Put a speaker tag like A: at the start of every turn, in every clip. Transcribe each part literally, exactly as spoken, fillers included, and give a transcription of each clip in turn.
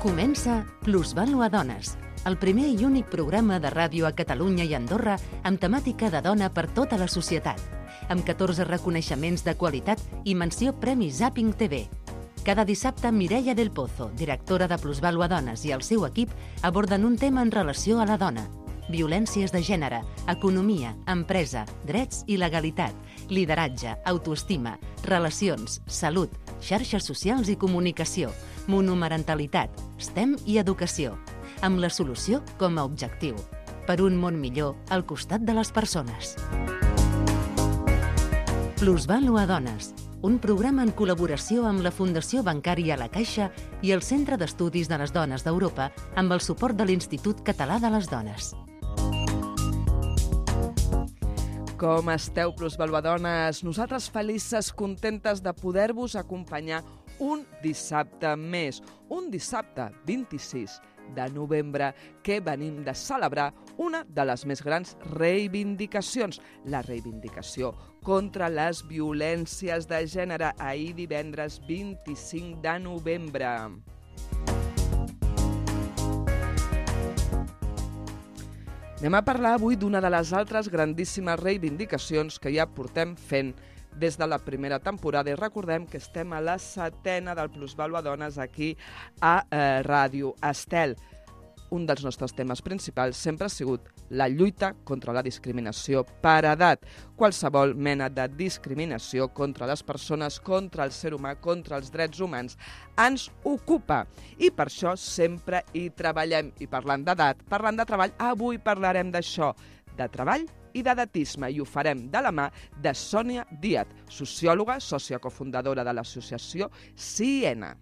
A: Comença Plusvàlua Dones, el primer i únic programa de ràdio a Catalunya i Andorra amb temàtica de dona per tota la societat, amb catorze reconeixements de qualitat i menció Premi Zapping T V. Cada dissabte, Mireia del Pozo, directora de Plusvàlua Dones, i el seu equip aborden un tema en relació a la dona. Violències de gènere, economia, empresa, drets i legalitat, lideratge, autoestima, relacions, salut, xarxes socials i comunicació, monomarentalitat, STEM i educació, amb la solució com a objectiu, per un món millor al costat de les persones. Plusvàlua Dones, un programa en col·laboració amb la Fundació Bancària La Caixa i el Centre d'Estudis de les Dones d'Europa amb el suport de l'Institut Català de les Dones.
B: Com esteu, plusvaluadones? Nosaltres felices, contentes de poder-vos acompanyar un dissabte més, un dissabte vint-i-sis de novembre, que venim de celebrar una de les més grans reivindicacions, la reivindicació contra les violències de gènere, ahir divendres vint-i-cinc de novembre. Anem a parlar avui d'una de les altres grandíssimes reivindicacions que ja portem fent des de la primera temporada, i recordem que estem a la setena del Plusvàlua Dones aquí a eh, Ràdio Estel. Un dels nostres temes principals sempre ha sigut la lluita contra la discriminació per edat. Qualsevol mena de discriminació contra les persones, contra el ser humà, contra els drets humans, ens ocupa. I per això sempre hi treballem. I parlant d'edat, parlant de treball, avui parlarem d'això, de treball i d'edatisme, i ho farem de la mà de Sònia Díaz, sociòloga, sòcia cofundadora de l'associació Siena.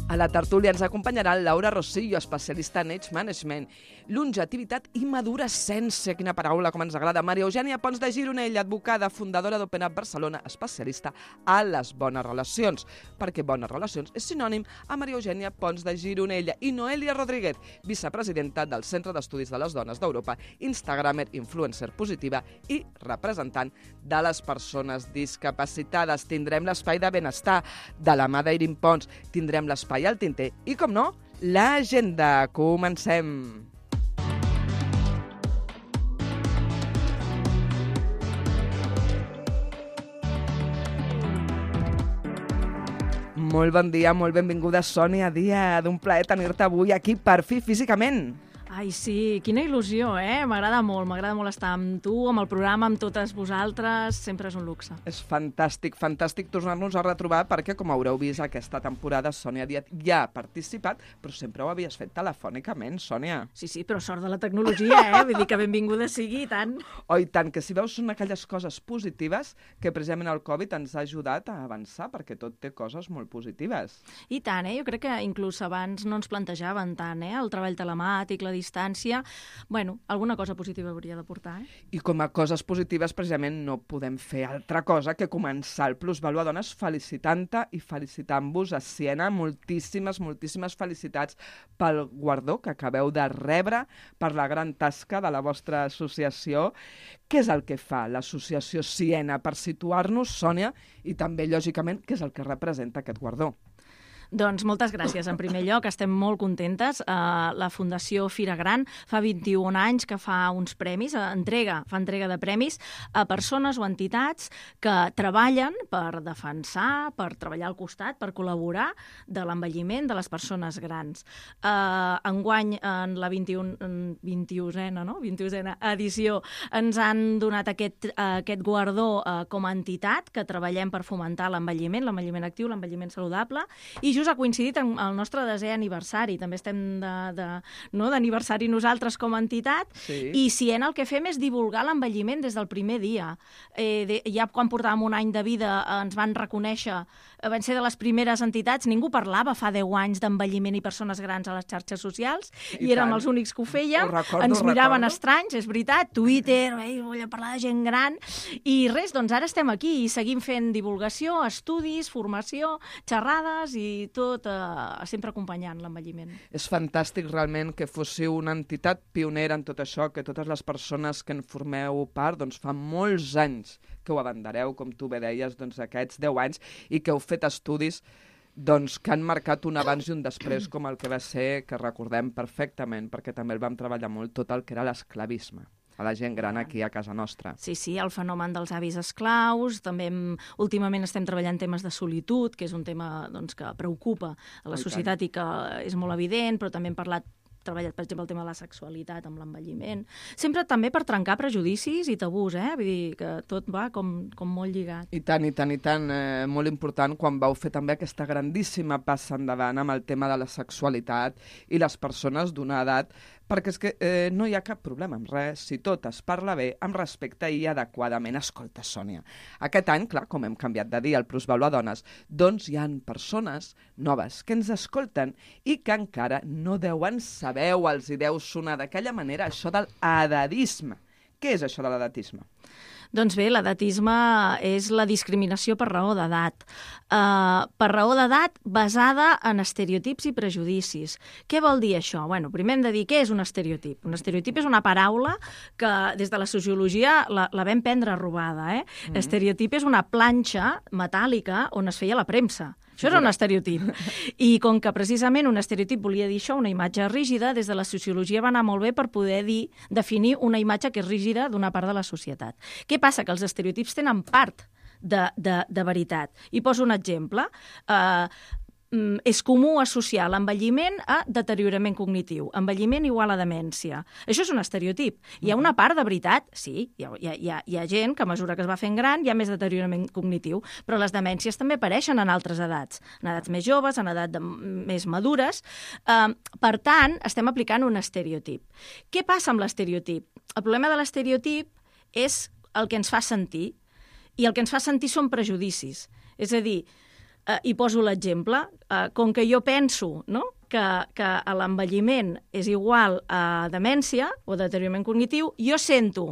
B: A la tertúlia ens acompanyarà Laura Rosillo, especialista en Age Management, longevitat i madurascència, quina paraula, com ens agrada. Maria Eugènia Pons de Gironell, advocada, fundadora d'Open Up Barcelona, especialista a les bones relacions, perquè bones relacions és sinònim a Maria Eugènia Pons de Gironella. I Noelia Rodríguez, vicepresidenta del Centre d'Estudis de les Dones d'Europa, instagramer, influencer positiva i representant de les persones discapacitades. Tindrem l'espai de benestar de la mà d'Eirin Pons, tindrem l'espai al tinter i, com no, l'agenda. Comencem! Molt bon dia, molt benvinguda, Sònia Díaz. D'un plaer tenir-te avui aquí, per fi, físicament.
C: Ai, sí, quina il·lusió, eh? M'agrada molt, m'agrada molt estar amb tu, amb el programa, amb totes vosaltres, sempre és un luxe.
B: És fantàstic, fantàstic tornar-nos a retrobar, perquè, com haureu vist, aquesta temporada Sònia Díaz ja ha participat, però sempre ho havies fet telefònicament, Sònia.
C: Sí, sí, però sort de la tecnologia, eh? Vull dir que benvinguda sigui, i tant.
B: Oh, i tant, que si veus són aquelles coses positives que precisament el Covid ens ha ajudat a avançar, perquè tot té coses molt positives.
C: I tant, eh? Jo crec que inclús abans no ens plantejaven tant, eh? El treball telemàtic, la distància, bueno, alguna cosa positiva hauria de portar, eh?
B: I com a coses positives, precisament, no podem fer altra cosa que començar el Plusvàlua Dones felicitant-te i felicitant-vos a Siena. Moltíssimes, moltíssimes felicitats pel guardó que acabeu de rebre, per la gran tasca de la vostra associació. Què és el que fa l'associació Siena per situar-nos, Sònia, i també, lògicament, què és el que representa aquest guardó?
C: Doncs moltes gràcies. En primer lloc, estem molt contentes. Uh, la Fundació Fira Gran fa vint-i-un anys que fa uns premis, uh, entrega, fa entrega de premis a persones o entitats que treballen per defensar, per treballar al costat, per col·laborar de l'envelliment de les persones grans. Uh, enguany, en la vint-i-unena no? vint-i-unena edició, ens han donat aquest, uh, aquest guardó uh, com a entitat que treballem per fomentar l'envelliment, l'envelliment actiu, l'envelliment saludable, i just ha coincidit amb el nostre desè aniversari. També estem de, de, no, d'aniversari nosaltres com a entitat,
B: sí.
C: I Siena el que fem és divulgar l'envelliment des del primer dia. Eh, de, ja quan portàvem un any de vida eh, ens van reconèixer, eh, van ser de les primeres entitats, ningú parlava fa deu anys d'envelliment i persones grans a les xarxes socials, i, i érem els únics que ho fèiem,
B: ho recordo,
C: ens miraven
B: recordo.
C: Estranys, és veritat, Twitter, eh, vull parlar de gent gran, i res, doncs ara estem aquí i seguim fent divulgació, estudis, formació, xerrades i tot eh, sempre acompanyant l'envelliment.
B: És fantàstic realment que fóssiu una entitat pionera en tot això, que totes les persones que en formeu part doncs fa molts anys que ho abandereu, com tu bé deies, doncs, aquests deu anys, i que heu fet estudis doncs, que han marcat un abans i un després, com el que va ser, que recordem perfectament, perquè també el vam treballar molt, tot el que era l'esclavisme a la gent gran aquí a casa nostra.
C: Sí, sí, el fenomen dels avis esclaus, també hem, últimament estem treballant temes de solitud, que és un tema doncs, que preocupa a la societat i que és molt evident, però també hem parlat treballat, per exemple, el tema de la sexualitat amb l'envelliment. Sempre també per trencar prejudicis i tabús, eh? Vull dir que tot va com, com molt lligat.
B: I tant, i tant, i tant. Eh, molt important quan vau fer també aquesta grandíssima passa endavant amb el tema de la sexualitat i les persones d'una edat, perquè és que eh, no hi ha cap problema amb res, si tot es parla bé, amb respecte i adequadament. Escolta, Sònia, aquest any, clar, com hem canviat de dir el Plusvalor a Dones, doncs hi han persones noves que ens escolten i que encara no deuen saber o els hi deu sonar d'aquella manera això de l'edatisme. Què és això de l'edatisme?
C: Doncs bé, l'edatisme és la discriminació per raó d'edat. Uh, per raó d'edat basada en estereotips i prejudicis. Què vol dir això? Bueno, primer hem de dir què és un estereotip. Un estereotip és una paraula que des de la sociologia la, la vam prendre robada. Eh? Mm-hmm. Estereotip és una planxa metàl·lica on es feia la premsa. Això era un estereotip. I com que precisament un estereotip volia dir això, una imatge rígida, des de la sociologia va anar molt bé per poder dir, definir una imatge que és rígida d'una part de la societat. Què passa? Que els estereotips tenen part de, de, de veritat. I poso un exemple. Uh, és comú associar l'envelliment a deteriorament cognitiu. Envelliment igual a demència. Això és un estereotip. Hi ha una part de veritat, sí, hi ha, hi ha, hi ha gent que a mesura que es va fent gran hi ha més deteriorament cognitiu, però les demències també apareixen en altres edats, en edats més joves, en edats de, més madures. Uh, per tant, estem aplicant un estereotip. Què passa amb l'estereotip? El problema de l'estereotip és el que ens fa sentir, i el que ens fa sentir són prejudicis. És a dir, Uh, i poso l'exemple, uh, com que jo penso, no?, que, que l'envelliment és igual a demència o deteriorament cognitiu, jo sento,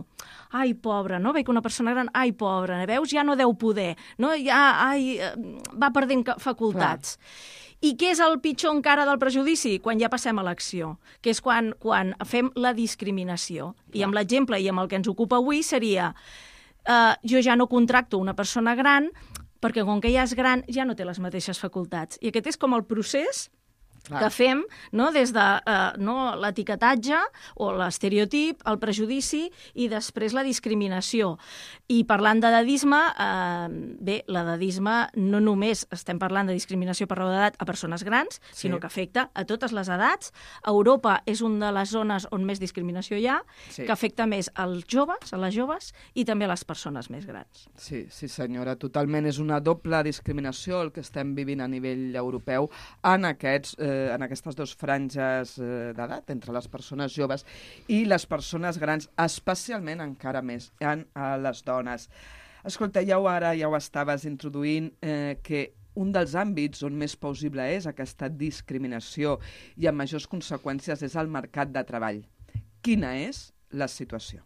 C: ai, pobra, no?, veig una persona gran, ai, pobra, veus, ja no deu poder, no?, ja, ai, va perdent facultats. Clar. I què és el pitjor encara del prejudici? Quan ja passem a l'acció, que és quan, quan fem la discriminació. Clar. I amb l'exemple i amb el que ens ocupa avui seria, uh, jo ja no contracto una persona gran perquè com que ja és gran ja no té les mateixes facultats. I aquest és com el procés Clar. que fem, no?, des de uh, no, l'etiquetatge o l'estereotip, el prejudici i després la discriminació. I parlant d'edadisme, uh, bé, l'edadisme no només estem parlant de discriminació per raó d'edat a persones grans, sí. sinó que afecta a totes les edats. Europa és una de les zones on més discriminació hi ha, sí. que afecta més als joves, a les joves i també a les persones més grans.
B: Sí, sí senyora, totalment. És una doble discriminació el que estem vivint a nivell europeu en aquests eh, en aquestes dues franges d'edat, entre les persones joves i les persones grans, especialment encara més en les dones. Escolta, ja ho ara, ja ho estaves introduint, eh, que un dels àmbits on més possible és aquesta discriminació i amb majors conseqüències és el mercat de treball. Quina és la situació?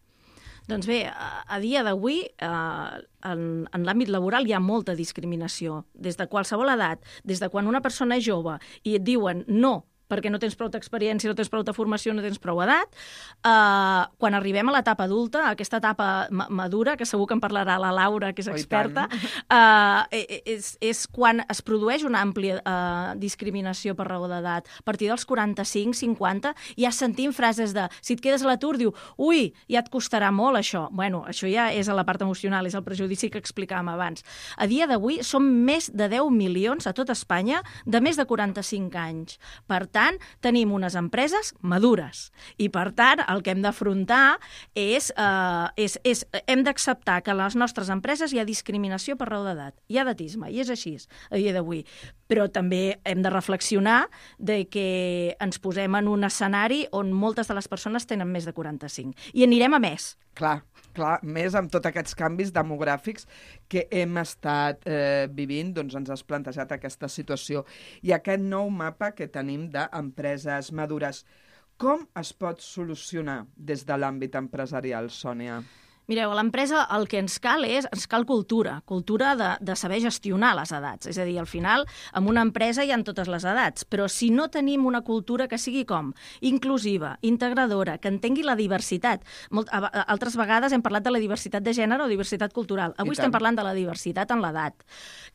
C: Doncs bé, a dia d'avui, eh, en, en l'àmbit laboral hi ha molta discriminació, des de qualsevol edat, des de quan una persona és jove i et diuen no, perquè no tens prou experiència, no tens prou formació, no tens prou edat. Uh, quan arribem a l'etapa adulta, aquesta etapa ma madura, que segur que en parlarà la Laura, que és experta, uh, és, és quan es produeix una àmplia uh, discriminació per raó d'edat. A partir dels quaranta-cinc cinquanta ja sentim frases de, si et quedes a l'atur, diu, ui, ja et costarà molt això. Bueno, això ja és a la part emocional, és el prejudici que explicàvem abans. A dia d'avui som més de deu milions a tot Espanya de més de quaranta-cinc anys. Per tant, tenim unes empreses madures i, per tant, el que hem d'afrontar és, eh, és, és hem d'acceptar que a les nostres empreses hi ha discriminació per raó d'edat, hi ha edatisme, i és així a dia d'avui. Però també hem de reflexionar de que ens posem en un escenari on moltes de les persones tenen més de quaranta-cinc. I anirem a més.
B: Clar, clar, més amb tots aquests canvis demogràfics que hem estat eh, vivint, doncs ens has plantejat aquesta situació i aquest nou mapa que tenim d'empreses madures. Com es pot solucionar des de l'àmbit empresarial, Sònia?
C: Mireu, a l'empresa el que ens cal és, ens cal cultura, cultura de, de saber gestionar les edats. És a dir, al final, en una empresa hi ha totes les edats, però si no tenim una cultura que sigui com? Inclusiva, integradora, que entengui la diversitat. Molt, a, a, altres vegades hem parlat de la diversitat de gènere o diversitat cultural. Avui estem parlant de la diversitat en l'edat.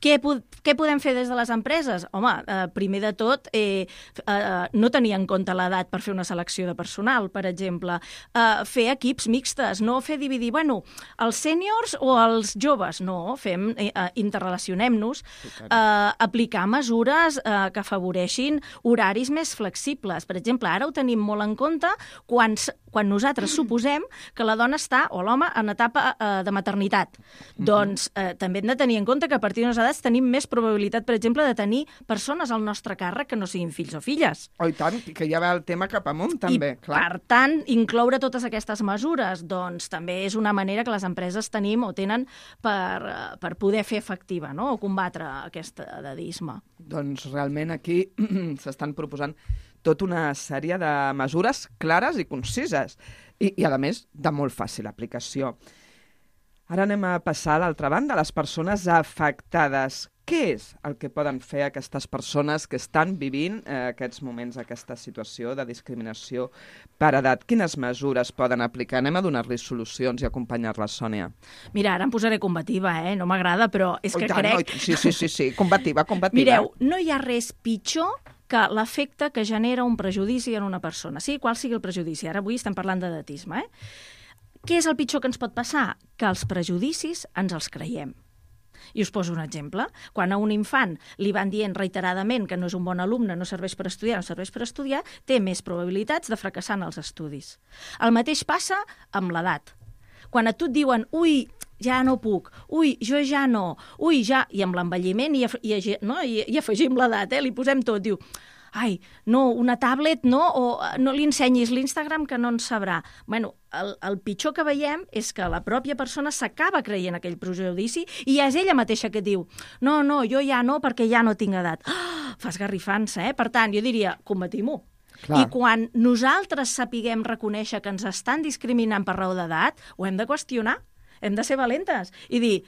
C: Què, què podem fer des de les empreses? Home, eh, primer de tot, eh, eh, no tenir en compte l'edat per fer una selecció de personal, per exemple. Eh, fer equips mixtes, no fer dividir, bueno, els sèniors o els joves, no, fem, eh, interrelacionem-nos, eh, aplicar mesures eh, que afavoreixin horaris més flexibles. Per exemple, ara ho tenim molt en compte quan, quan nosaltres suposem que la dona està, o l'home, en etapa eh, de maternitat. Mm-hmm. Doncs eh, també hem de tenir en compte que a partir d'unes edats tenim més probabilitat, per exemple, de tenir persones al nostre càrrec que no siguin fills o filles.
B: Oh, i tant, que ja va el tema cap amunt, també,
C: I,
B: clar.
C: per tant, incloure totes aquestes mesures, doncs també és una manera que les empreses tenim o tenen per, per poder fer efectiva, no?, o combatre aquest edadisme.
B: Doncs realment aquí s'estan proposant tota una sèrie de mesures clares i concises i, i a més, de molt fàcil aplicació. Ara anem a passar a l'altra banda, les persones afectades. Què és el que poden fer aquestes persones que estan vivint eh, aquests moments, aquesta situació de discriminació per edat? Quines mesures poden aplicar? Anem a donar-los solucions i acompanyar-les, Sònia.
C: Mira, ara em posaré combativa, eh? No m'agrada, però és
B: oh,
C: que
B: tant,
C: crec...
B: Oh, sí, sí, sí, sí, combativa, combativa.
C: Mireu, no hi ha res pitjor que l'efecte que genera un prejudici en una persona. Sí, qual sigui el prejudici. Ara avui estem parlant d'edatisme, eh? Què és el pitjor que ens pot passar? Que els prejudicis ens els creiem. I us poso un exemple. Quan a un infant li van dient reiteradament que no és un bon alumne, no serveix per estudiar, no serveix per estudiar, té més probabilitats de fracassar en els estudis. El mateix passa amb l'edat. Quan a tu et diuen, ui, ja no puc, ui, jo ja no, ui, ja... I amb l'envelliment i, i, no? I, i afegim l'edat, eh? Li posem tot, diu... ai, no, una tablet, no, o no li ensenyis l'Instagram que no en sabrà. Bueno, el, el pitjor que veiem és que la pròpia persona s'acaba creient aquell prejudici i és ella mateixa que diu no, no, jo ja no, perquè ja no tinc edat. Oh, fa esgarrifança, eh? Per tant, jo diria, combatim-ho. Clar. I quan nosaltres sapiguem reconèixer que ens estan discriminant per raó d'edat, ho hem de qüestionar, hem de ser valentes i dir...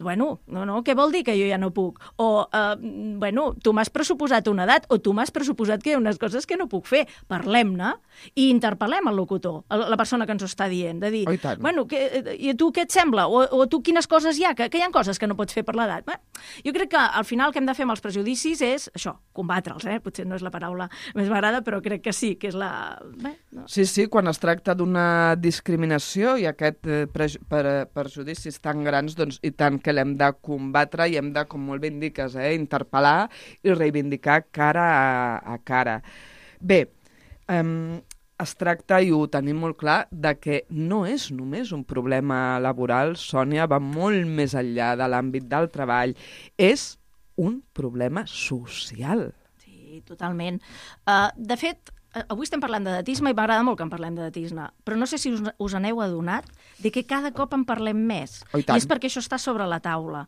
C: Bueno, no, no, què vol dir que jo ja no puc? O, eh, bueno, tu m'has pressuposat una edat o tu m'has pressuposat que hi ha unes coses que no puc fer. Parlem-ne i interpel·lem el locutor, la persona que ens ho està dient, de dir,
B: oh,
C: bueno, que, i a tu què et sembla? O, o tu quines coses hi ha? Que, que hi ha coses que no pots fer per l'edat? Bé, jo crec que al final el que hem de fer amb els prejudicis és això, combatre'ls, eh? Potser no és la paraula més m'agrada, però crec que sí, que és la... Bé, no.
B: Sí, sí, quan es tracta d'una discriminació i aquest eh, preju per, perjudicis tan grans, doncs i tant que l'hem de combatre i hem de, com molt bé indiques, eh, interpel·lar i reivindicar cara a, a cara. Bé, eh, es tracta, i ho tenim molt clar, de que no és només un problema laboral, Sònia, va molt més enllà de l'àmbit del treball. És un problema social.
C: Sí, totalment. Uh, de fet, avui estem parlant d'edatisme i m'agrada molt que en parlem d'edatisme, però no sé si us, us aneu adonat de que cada cop en parlem més.
B: Oh, i
C: I és perquè això està sobre la taula.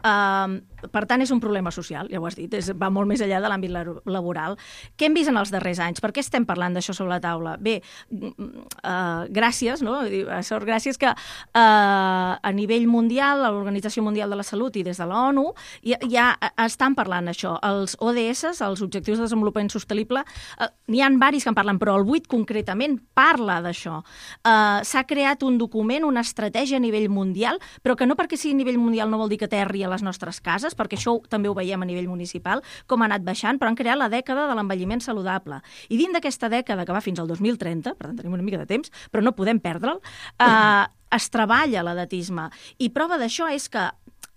C: Uh, per tant, és un problema social, ja ho has dit, és, va molt més enllà de l'àmbit laboral. Què hem vist en els darrers anys? Per què estem parlant d'això sobre la taula? Bé, uh, gràcies, no? Sort, gràcies que uh, a nivell mundial, a l'Organització Mundial de la Salut i des de l'ONU, ja, ja estan parlant això. Els O D S, els Objectius de Desenvolupament Sostenible, uh, n'hi ha varis que en parlen, però el vuit concretament parla d'això. Uh, s'ha creat un document, una estratègia a nivell mundial, però que no perquè sigui a nivell mundial no vol dir que aterri a les nostres cases, perquè això també ho veiem a nivell municipal, com ha anat baixant, però han creat la dècada de l'envelliment saludable. I dins d'aquesta dècada, que va fins al dos mil trenta, per tant tenim una mica de temps, però no podem perdre'l, uh, es treballa l'edatisme. I prova d'això és que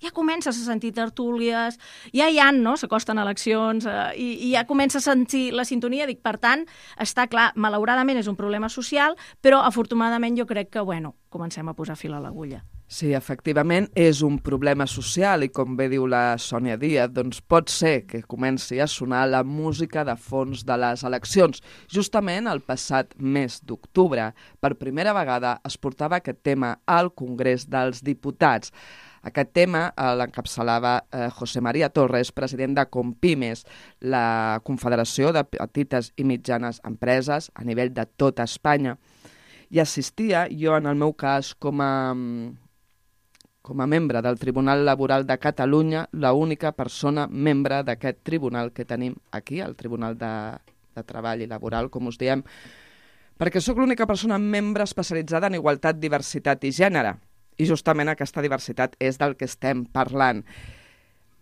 C: ja comences a sentir tertúlies, ja hi ha, no?, s'acosten eleccions, eh, i, i ja comença a sentir la sintonia. Dic, per tant, està clar, malauradament és un problema social, però afortunadament jo crec que, bueno, comencem a posar fil a l'agulla.
B: Sí, efectivament, és un problema social i, com bé diu la Sònia Díaz, doncs pot ser que comenci a sonar la música de fons de les eleccions. Justament el passat mes d'octubre, per primera vegada, es portava aquest tema al Congrés dels Diputats. Aquest tema eh, l'encapçalava eh, José María Torres, president de Compimes, la Confederació de Petites i Mitjanes Empreses a nivell de tota Espanya. i assistia, jo en el meu cas com a, com a membre del Tribunal Laboral de Catalunya, l'única persona membre d'aquest tribunal que tenim aquí, el Tribunal de, de Treball i Laboral, com us diem, perquè sóc l'única persona membre especialitzada en igualtat, diversitat i gènere. I justament aquesta diversitat és del que estem parlant.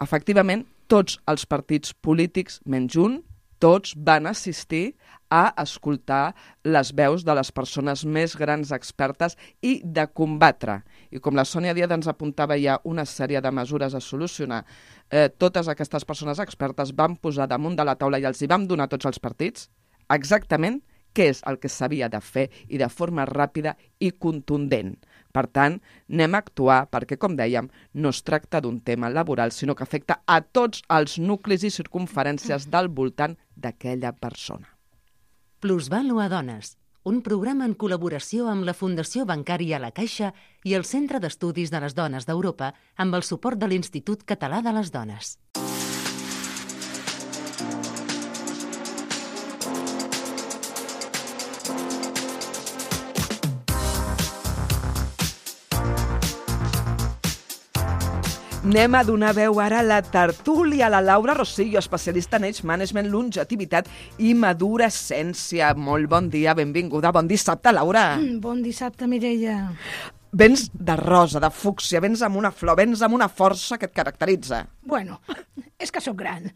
B: Efectivament, tots els partits polítics, menys un, tots van assistir a escoltar les veus de les persones més grans expertes i de combatre. I com la Sònia Díaz ens apuntava ja una sèrie de mesures a solucionar, eh, totes aquestes persones expertes van posar damunt de la taula i els hi vam donar a tots els partits exactament què és el que s'havia de fer i de forma ràpida i contundent. Per tant, anem a actuar perquè, com dèiem, no es tracta d'un tema laboral, sinó que afecta a tots els nuclis i circumferències del voltant d'aquella persona.
A: Plusvàlua Dones, un programa en col·laboració amb la Fundació Bancària La Caixa i el Centre d'Estudis de les Dones d'Europa amb el suport de l'Institut Català de les Dones.
B: Anem a donar veu ara a la tertúlia, a la Laura Rosillo, especialista en Age Management, Longevitat i Madurescència. Molt bon dia, benvinguda. Bon dissabte, Laura.
D: Mm, bon dissabte, Mireia.
B: Vens de rosa, de fúcsia, vens amb una flor, vens amb una força que et caracteritza.
D: Bueno, és que sóc gran.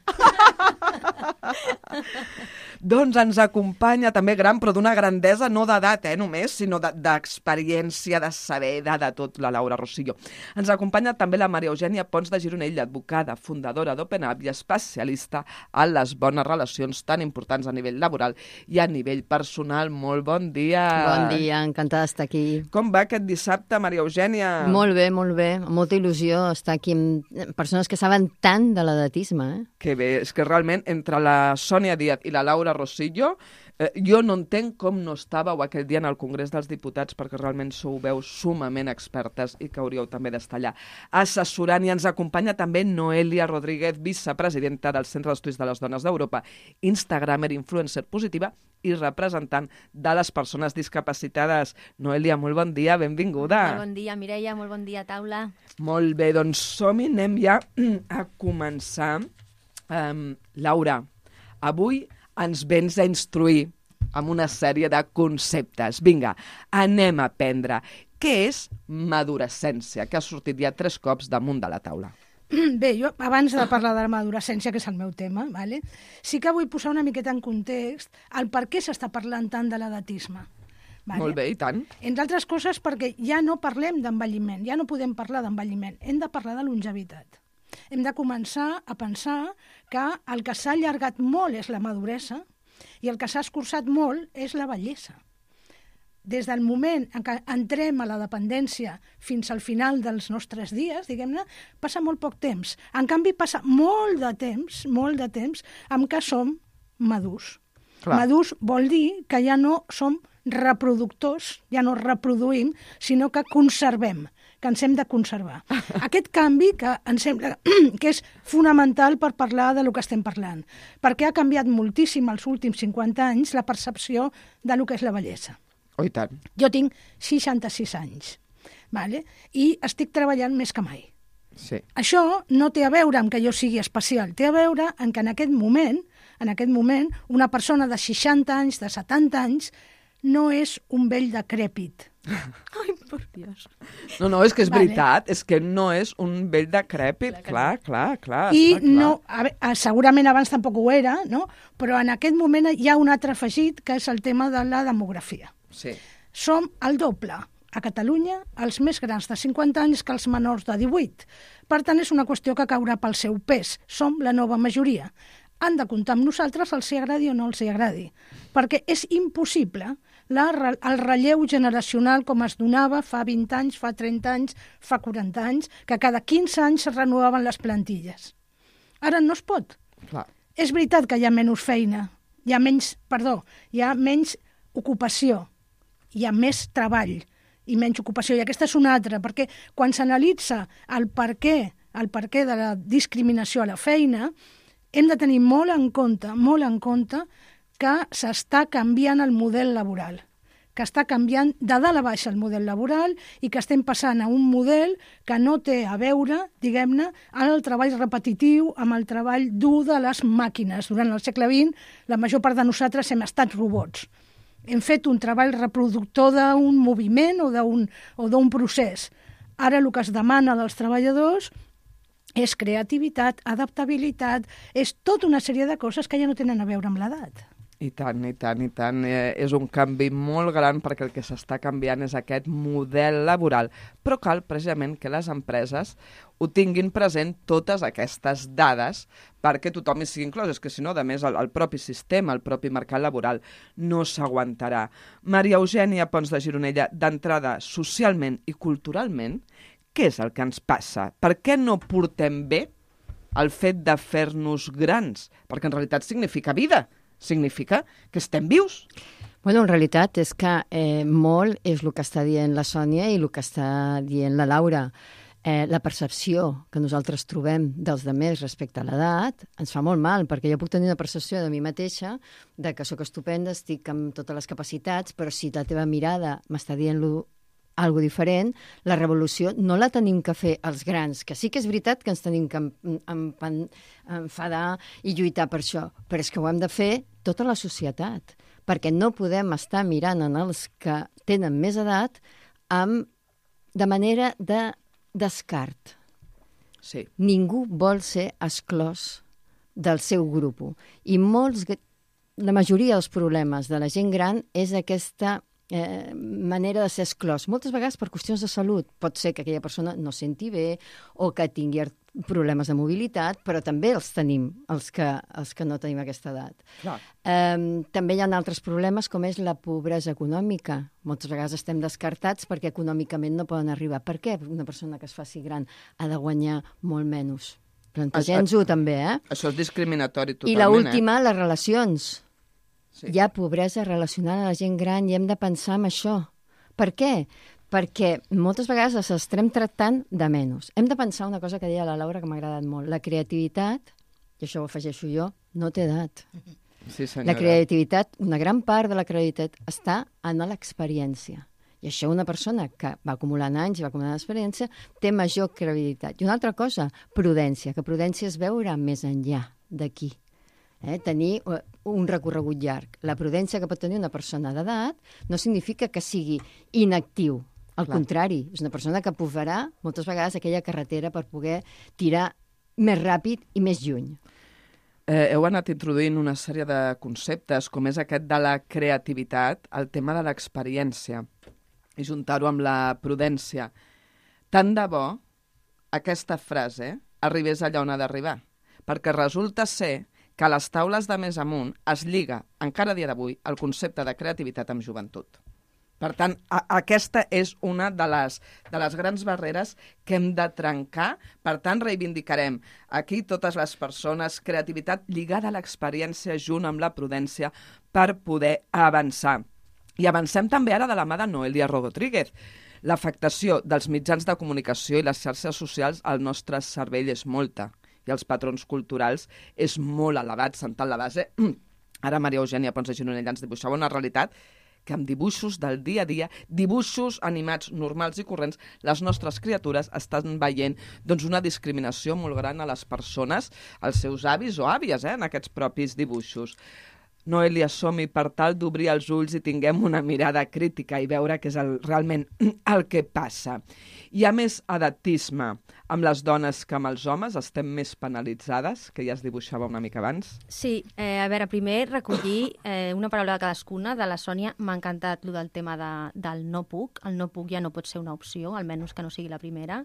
B: Doncs ens acompanya també gran, però d'una grandesa no d'edat, eh, només, sinó d'experiència, de, de saber, de, de tot, la Laura Rosillo. Ens acompanya també la Maria Eugènia Pons de Gironell, advocada, fundadora d'OpenUp i especialista en les bones relacions tan importants a nivell laboral i a nivell personal. Molt bon dia.
E: Bon dia, encantada d'estar aquí.
B: Com va aquest dissabte, Maria Eugènia?
E: Molt bé, molt bé. Amb molta il·lusió estar aquí amb persones que saben tant de l'edatisme. Eh?
B: Que bé, és que realment entre la Sònia Díaz i la Laura Rosillo, eh, jo no entenc com no estàveu aquell dia en el Congrés dels Diputats, perquè realment sou veus sumament expertes i que hauríeu també d'estar allà assessorant. I ens acompanya també Noelia Rodríguez, vicepresidenta del Centre d'Estudis de les Dones d'Europa, instagramer, influencer positiva i representant de les persones discapacitades. Noelia, molt bon dia, benvinguda.
F: Molt bon dia, Mireia, molt bon dia, taula.
B: Molt bé, doncs som-hi, anem ja a començar. Um, Laura, avui ens vens a instruir amb una sèrie de conceptes. Vinga, anem a aprendre. Què és madurescència? Que ha sortit ja tres cops damunt de la taula.
D: Bé, jo abans de parlar de la madurescència, que és el meu tema, vale? Sí que vull posar una miqueta en context el per què s'està parlant tant de l'edatisme. Vale?
B: Molt bé, i tant.
D: Entre altres coses perquè ja no parlem d'envelliment, ja no podem parlar d'envelliment, hem de parlar de longevitat. Hem de començar a pensar que el que s'ha allargat molt és la maduresa i el que s'ha escurçat molt és la vellesa. Des del moment en què entrem a la dependència fins al final dels nostres dies, diguem-ne, passa molt poc temps. En canvi, passa molt de temps, molt de temps, en què som madurs. Clar. Madurs vol dir que ja no som reproductors, ja no reproduïm, sinó que conservem, que ens hem de conservar. Aquest canvi que em sembla que és fonamental per parlar de lo que estem parlant, perquè ha canviat moltíssim els últims cinquanta anys la percepció de lo que és la bellesa.
B: Oh, i tant.
D: Jo tinc seixanta-sis anys, vale? I estic treballant més que mai.
B: Sí.
D: Això no té a veure amb que jo sigui especial, té a veure amb que en aquest moment, en aquest moment, una persona de seixanta anys, de setanta anys, no és un vell decrèpit.
F: Ai, per Dios.
B: No, no, és que és
D: Vale.
B: veritat, és que no és un vell decrèpit, clar, clar, clar.
D: I
B: està clar.
D: no, a veure, segurament abans tampoc ho era, no? Però en aquest moment hi ha un altre afegit, que és el tema de la demografia.
B: Sí.
D: Som el doble a Catalunya, els més grans de cinquanta anys que els menors de divuit. Per tant, és una qüestió que caurà pel seu pes. Som la nova majoria. Han de comptar amb nosaltres, els hi agradi o no els hi agradi. Perquè és impossible la, el relleu generacional com es donava fa vint anys, fa trenta anys, fa quaranta anys, que cada quinze anys es renovaven les plantilles. Ara no es pot.
B: Clar.
D: És veritat que hi ha menys feina, hi ha menys, perdó, hi ha menys ocupació, hi ha més treball i menys ocupació. I aquesta és una altra, perquè quan s'analitza el per què, el per què de la discriminació a la feina, hem de tenir molt en compte, molt en compte, que s'està canviant el model laboral, que està canviant de dalt a baix el model laboral i que estem passant a un model que no té a veure, diguem-ne, amb el treball repetitiu, amb el treball dur de les màquines. Durant el segle vint, la major part de nosaltres hem estat robots. Hem fet un treball reproductor d'un moviment o d'un o d'un procés. Ara el que es demana dels treballadors és creativitat, adaptabilitat, és tota una sèrie de coses que ja no tenen a veure amb l'edat.
B: I tant, i tant, i tant. Eh, és un canvi molt gran perquè el que s'està canviant és aquest model laboral. Però cal precisament que les empreses ho tinguin present totes aquestes dades perquè tothom hi sigui inclòs. És que si no, a més, el, el propi sistema, el propi mercat laboral no s'aguantarà. Maria Eugènia Pons de Gironella, d'entrada, socialment i culturalment, què és el que ens passa? Per què no portem bé el fet de fer-nos grans? Perquè en realitat significa vida. Significa que estem vius.
E: Bueno, en realitat és que eh, molt és el que està dient la Sònia i el que està dient la Laura. Eh, la percepció que nosaltres trobem dels demés respecte a l'edat ens fa molt mal, perquè jo puc tenir una percepció de mi mateixa de que sóc estupenda, estic amb totes les capacitats, però si la teva mirada m'està dient-lo algo diferent, la revolució no la tenim que fer els grans, que sí que és veritat que ens tenim que enfadar i lluitar per això, però és que ho hem de fer tota la societat, perquè no podem estar mirant en els que tenen més edat amb, de manera de descart.
B: Sí.
E: Ningú vol ser exclòs del seu grup. I molts, la majoria dels problemes de la gent gran és aquesta Eh, manera de ser exclòs. Moltes vegades per qüestions de salut. Pot ser que aquella persona no senti bé o que tingui problemes de mobilitat, però també els tenim, els que, els que no tenim aquesta edat. Eh, també hi ha altres problemes, com és la pobresa econòmica. Moltes vegades estem descartats perquè econòmicament no poden arribar. Per què una persona que es faci gran ha de guanyar molt menys? Plantegem-ho també, eh?
B: Això és discriminatori totalment.
E: I l'última, eh? Les relacions.
B: Sí.
E: Hi ha pobresa relacionada a la gent gran i hem de pensar en això. Per què? Perquè moltes vegades els estem tractant de menys. Hem de pensar una cosa que deia la Laura que m'ha agradat molt. La creativitat, i això ho afegeixo jo, no té edat.
B: Sí, senyora.
E: La creativitat, una gran part de la creativitat està en l'experiència. I això una persona que va acumulant anys i va acumulant experiència té major creativitat. I una altra cosa, prudència, que prudència és veure més enllà d'aquí. Eh, tenir un recorregut llarg. La prudència que pot tenir una persona d'edat no significa que sigui inactiu. Al Clar. Contrari, és una persona que aprovarà moltes vegades aquella carretera per poder tirar més ràpid i més lluny.
B: Eh, heu anat introduint una sèrie de conceptes, com és aquest de la creativitat, el tema de l'experiència, i juntar-ho amb la prudència. Tant de bo aquesta frase arribés allà on ha d'arribar, perquè resulta ser que a les taules de més amunt es lliga, encara a dia d'avui, el concepte de creativitat amb joventut. Per tant, a, aquesta és una de les, de les grans barreres que hem de trencar. Per tant, reivindicarem aquí totes les persones, creativitat lligada a l'experiència junt amb la prudència per poder avançar. I avancem també ara de la mà de Noelia Rodríguez. L'afectació dels mitjans de comunicació i les xarxes socials al nostre cervell és molta. I els patrons culturals és molt elevat, sentant la base. Ara Maria Eugènia Pons de Gironella ens dibuixava una realitat que amb dibuixos del dia a dia, dibuixos animats normals i corrents, les nostres criatures estan veient doncs, una discriminació molt gran a les persones, als seus avis o àvies, eh, en aquests propis dibuixos. Noelia, som-hi per tal d'obrir els ulls i tinguem una mirada crítica i veure què és el, realment el que passa. Hi ha més edatisme amb les dones que amb els homes? Estem més penalitzades, que ja es dibuixava una mica abans?
F: Sí, eh, a veure, primer recollir eh, una paraula de cadascuna. De la Sònia m'ha encantat el del tema de, del no puc. El no puc ja no pot ser una opció, almenys que no sigui la primera.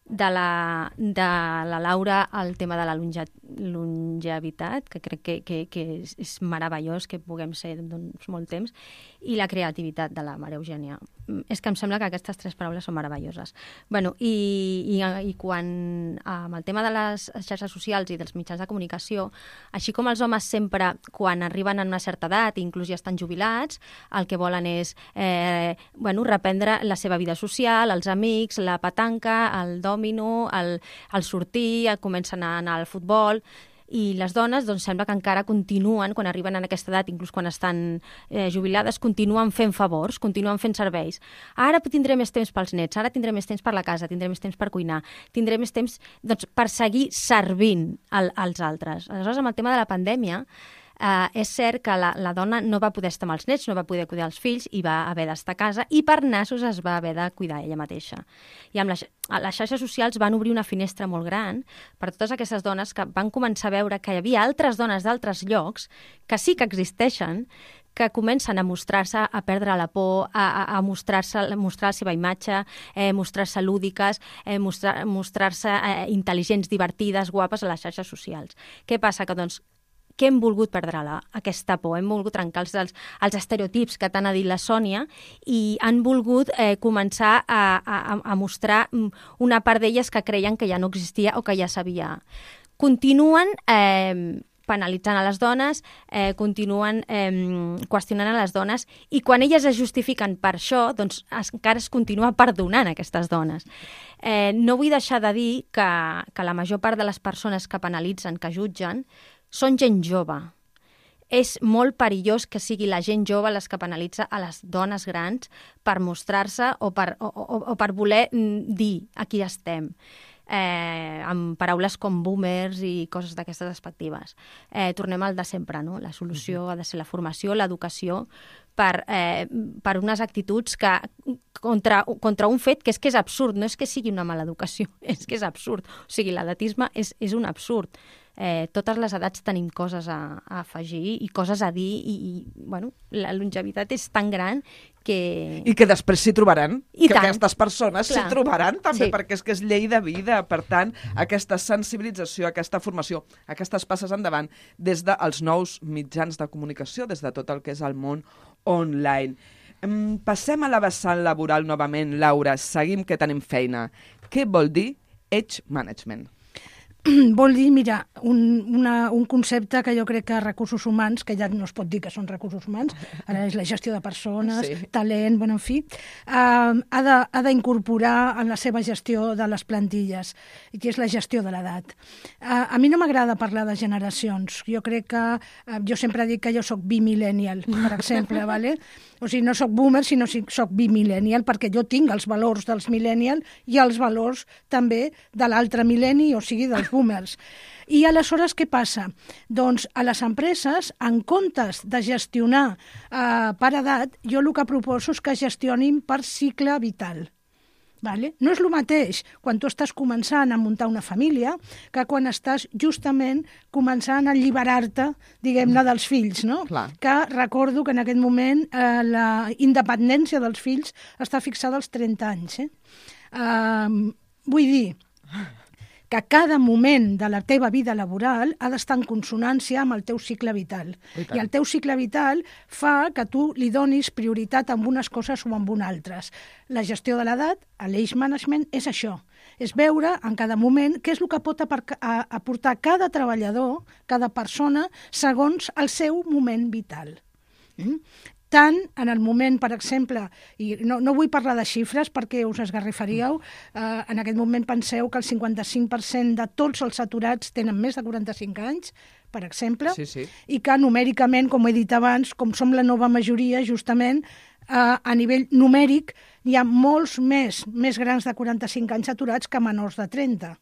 F: De la, de la Laura el tema de la longe, longevitat, que crec que, que, que és, és meravellós que puguem ser doncs, molt temps, i la creativitat de la Maria Eugènia. És que em sembla que aquestes tres paraules són meravelloses. Bueno, i, i, i quan amb el tema de les xarxes socials i dels mitjans de comunicació, així com els homes sempre, quan arriben a una certa edat, inclús ja estan jubilats, el que volen és eh, bueno, reprendre la seva vida social, els amics, la petanca, el dòmino, el, el sortir, el comencen a anar al futbol, I les dones, doncs, sembla que encara continuen, quan arriben a aquesta edat, inclús quan estan eh, jubilades, continuen fent favors, continuen fent serveis. Ara tindré més temps pels nets, ara tindré més temps per la casa, tindré més temps per cuinar, tindré més temps doncs, per seguir servint al, als altres. Aleshores, amb el tema de la pandèmia, Uh, és cert que la, la dona no va poder estar amb els nets, no va poder cuidar els fills i va haver d'estar a casa i per nassos es va haver de cuidar ella mateixa. I amb les, les xarxes socials van obrir una finestra molt gran per totes aquestes dones que van començar a veure que hi havia altres dones d'altres llocs que sí que existeixen, que comencen a mostrar-se, a perdre la por, a, a, a mostrar-se, a mostrar la seva imatge, eh, mostrar-se lúdiques, eh, mostrar, mostrar-se eh, intel·ligents, divertides, guapes a les xarxes socials. Què passa? Que, doncs, que hem volgut perdre la, aquesta por, hem volgut trencar els, els, els estereotips que t'ha dit la Sònia i han volgut eh, començar a, a, a mostrar una part d'elles que creien que ja no existia o que ja sabia. Continuen eh, penalitzant a les dones, eh, continuen eh, qüestionant a les dones i quan elles es justifiquen per això, doncs es, encara es continua perdonant a aquestes dones. Eh, no vull deixar de dir que, que la major part de les persones que penalitzen, que jutgen, són gent jove. És molt perillós que sigui la gent jove les que penalitza a les dones grans per mostrar-se o, per, o, o, o per voler dir aquí estem. Eh, amb paraules com boomers i coses d'aquestes perspectives. Eh, tornem al de sempre, no? La solució ha de ser la formació, l'educació, per, eh, per unes actituds que contra, contra un fet que és que és absurd, no és que sigui una mala educació, és que és absurd. O sigui, l'edatisme és, és un absurd. Eh, totes les edats tenim coses a, a afegir i coses a dir i, i bueno, la longevitat és tan gran que...
B: I que després s'hi trobaran,
F: I
B: que
F: tant.
B: aquestes persones s'hi
F: Clar.
B: trobaran també,
F: Sí.
B: perquè és que és llei de vida. Per tant, aquesta sensibilització, aquesta formació, aquestes passes endavant des dels nous mitjans de comunicació, des de tot el que és el món online. Mm, Passem a la vessant laboral novament, Laura. Seguim que tenim feina. Què vol dir Age Management?
D: Vol dir, mira, un, una, un concepte que jo crec que recursos humans, que ja no es pot dir que són recursos humans, ara és la gestió de persones,
B: Sí.
D: talent, bueno, en fi, uh, ha de- ha d'incorporar en la seva gestió de les plantilles, i que és la gestió de l'edat. Uh, a mi no m'agrada parlar de generacions. Jo crec que, uh, jo sempre dic que jo sóc bimillennial, per exemple, vale? O sigui, no sóc boomer, sinó que sóc bimillennial, perquè jo tinc els valors dels millennial i els valors també de l'altre mil·lenni, o sigui, dels boomers. I aleshores què passa? Doncs a les empreses, en comptes de gestionar eh, per edat, jo el que proposo és que gestionin per cicle vital. Vale? No és el mateix quan tu estàs començant a muntar una família que quan estàs justament començant a alliberar-te, diguem-ne, dels fills, no?
B: Clar.
D: Que recordo que en aquest moment eh, la independència dels fills està fixada als trenta anys. Eh? Uh, vull dir que cada moment de la teva vida laboral ha d'estar en consonància amb el teu cicle vital.
B: I tant.
D: I el teu cicle vital fa que tu li donis prioritat amb unes coses o amb unes altres. La gestió de l'edat, l'age management, és això. És veure en cada moment què és el que pot apar- a- aportar cada treballador, cada persona, segons el seu moment vital. Mm? Tant en el moment, per exemple, i no, no vull parlar de xifres perquè us esgarrifaríeu, eh, en aquest moment penseu que el cinquanta-cinc per cent de tots els aturats tenen més de quaranta-cinc anys, per exemple,
B: Sí, sí.
D: i que numèricament, com he dit abans, com som la nova majoria, justament, eh, a nivell numèric, hi ha molts més, més grans de quaranta-cinc anys aturats que menors de trenta.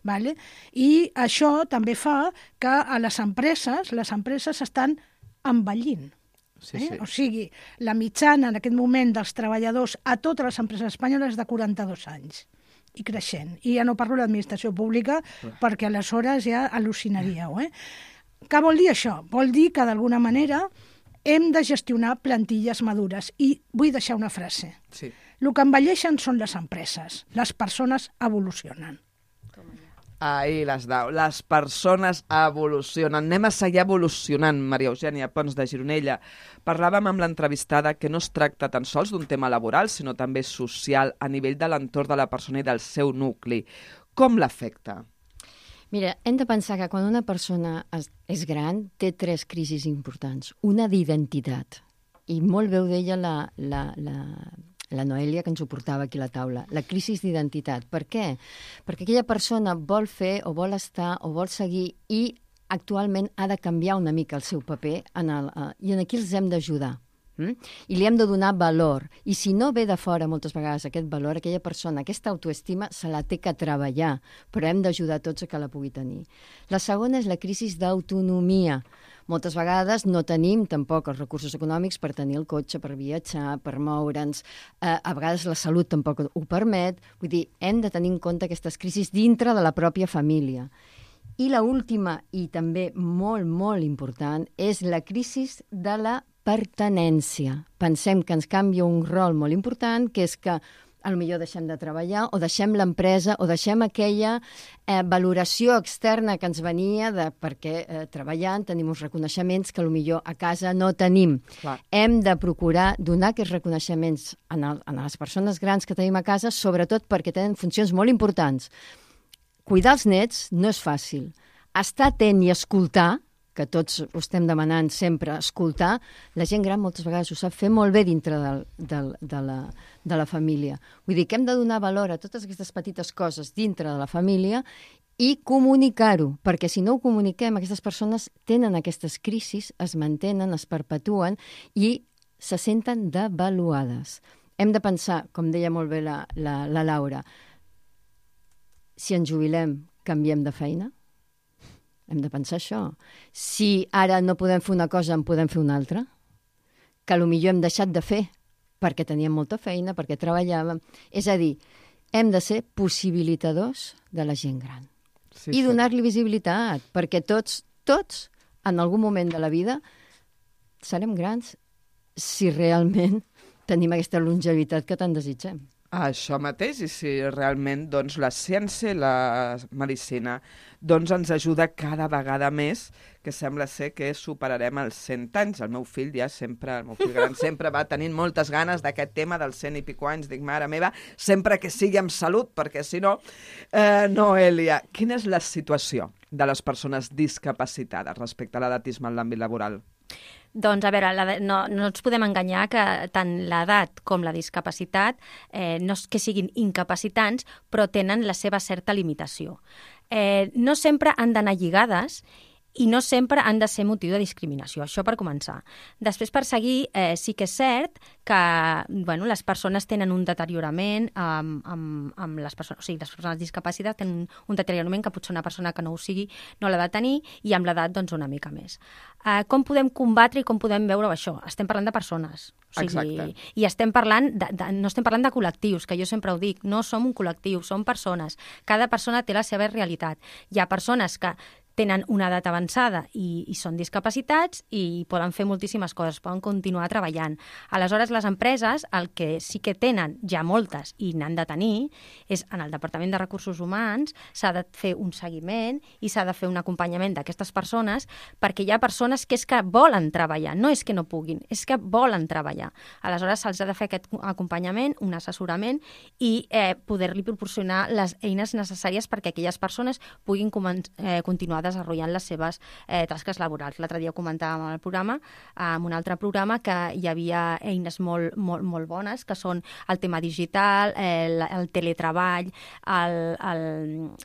D: Vale? I això també fa que a les empreses, les empreses estan envellint.
B: Sí,
D: Eh?
B: sí.
D: O sigui, la mitjana en aquest moment dels treballadors a totes les empreses espanyoles és de quaranta-dos anys i creixent. I ja no parlo de l'administració pública perquè aleshores ja al·lucinaríeu. Eh? Què vol dir això? Vol dir que d'alguna manera hem de gestionar plantilles madures. I vull deixar una frase.
B: Sí.
D: El que envelleixen són les empreses. Les persones evolucionen.
B: Ahí les dau. Les persones evolucionen. Anem a seguir evolucionant, Maria Eugènia Pons de Gironella. Parlàvem amb l'entrevistada que no es tracta tan sols d'un tema laboral, sinó també social, a nivell de l'entorn de la persona i del seu nucli. Com l'afecta?
E: Mira, hem de pensar que quan una persona és, és gran té tres crisis importants. Una d'identitat, i molt veu d'ella la, la, la, la Noelia, que ens ho portava aquí a la taula, la crisi d'identitat. Per què? Perquè aquella persona vol fer o vol estar o vol seguir i actualment ha de canviar una mica el seu paper en el, uh, i en aquí els hem d'ajudar. Mm? I li hem de donar valor. I si no ve de fora moltes vegades aquest valor, aquella persona, aquesta autoestima, se la té que treballar, però hem d'ajudar tots a que la pugui tenir. La segona és la crisi d'autonomia. Moltes vegades no tenim tampoc els recursos econòmics per tenir el cotxe, per viatjar, per moure'ns. Eh, a vegades la salut tampoc ho permet. Vull dir, hem de tenir en compte aquestes crisis dintre de la pròpia família. I la última, i també molt, molt important, és la crisi de la pertinència. Pensem que ens canvia un rol molt important, que és que potser deixem de treballar o deixem l'empresa o deixem aquella eh, valoració externa que ens venia de, perquè eh, treballant tenim uns reconeixements que potser a casa no tenim.
B: Clar.
E: Hem de procurar donar aquests reconeixements a, el, a les persones grans que tenim a casa, sobretot perquè tenen funcions molt importants. Cuidar els nets no és fàcil. Estar atent i escoltar, que tots ho estem demanant sempre, escoltar, la gent gran moltes vegades ho sap fer molt bé dintre del, del, de, la, de la família. Vull dir que hem de donar valor a totes aquestes petites coses dintre de la família i comunicar-ho, perquè si no ho comuniquem, aquestes persones tenen aquestes crisis, es mantenen, es perpetuen i se senten devaluades. Hem de pensar, com deia molt bé la, la, la Laura, si ens jubilem, canviem de feina? Hem de pensar això. Si ara no podem fer una cosa, en podem fer una altra, que potser hem deixat de fer perquè teníem molta feina, perquè treballàvem. És a dir, hem de ser possibilitadors de la gent gran.
B: Sí,
E: I donar-li visibilitat, perquè tots, tots, en algun moment de la vida, serem grans si realment tenim aquesta longevitat que tant desitgem.
B: Això mateix, i si realment doncs, la ciència i la medicina doncs, ens ajuda cada vegada més, que sembla ser que superarem els cent anys. El meu fill ja sempre, el meu fill gran sempre va tenint moltes ganes d'aquest tema dels cent i pico anys. Dic, mare meva, sempre que sigui amb salut, perquè si no... Eh, Noelia, quina és la situació de les persones discapacitades respecte a l'edatisme en l'àmbit laboral?
F: Doncs, a veure, la, no, no ens podem enganyar que tant l'edat com la discapacitat eh, no és que siguin incapacitants, però tenen la seva certa limitació. Eh, no sempre han d'anar lligades i no sempre han de ser motiu de discriminació, això per començar. Després, per seguir, eh, sí que és cert que bueno, les persones tenen un deteriorament amb, amb, amb les persones, o sigui, les persones discapacitats tenen un deteriorament que potser una persona que no ho sigui no l'ha de tenir i amb l'edat doncs una mica més. Eh, com podem combatre i com podem veure això? Estem parlant de persones. O sigui,
B: exacte.
F: I estem parlant de, de, no estem parlant de col·lectius, que jo sempre ho dic, no som un col·lectiu, som persones. Cada persona té la seva realitat. Hi ha persones que tenen una edat avançada i, i són discapacitats i poden fer moltíssimes coses, poden continuar treballant. Aleshores, les empreses, el que sí que tenen, ja moltes, i n'han de tenir, és en el Departament de Recursos Humans s'ha de fer un seguiment i s'ha de fer un acompanyament d'aquestes persones perquè hi ha persones que és que volen treballar, no és que no puguin, és que volen treballar. Aleshores, se'ls ha de fer aquest acompanyament, un assessorament i eh, poder-li proporcionar les eines necessàries perquè aquelles persones puguin eh, continuar desenvolupant les seves eh, tasques laborals. L'altre dia comentàvem al programa, en un altre programa, que hi havia eines molt, molt, molt bones, que són el tema digital, el, el teletreball, el, el,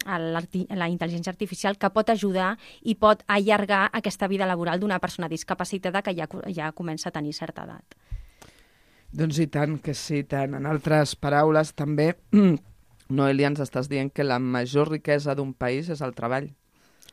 F: el, la intel·ligència artificial, que pot ajudar i pot allargar aquesta vida laboral d'una persona discapacitada que ja, ja comença a tenir certa edat.
B: Doncs i tant que sí, tant. En altres paraules, també, Noelia, ens estàs dient que la major riquesa d'un país és el treball.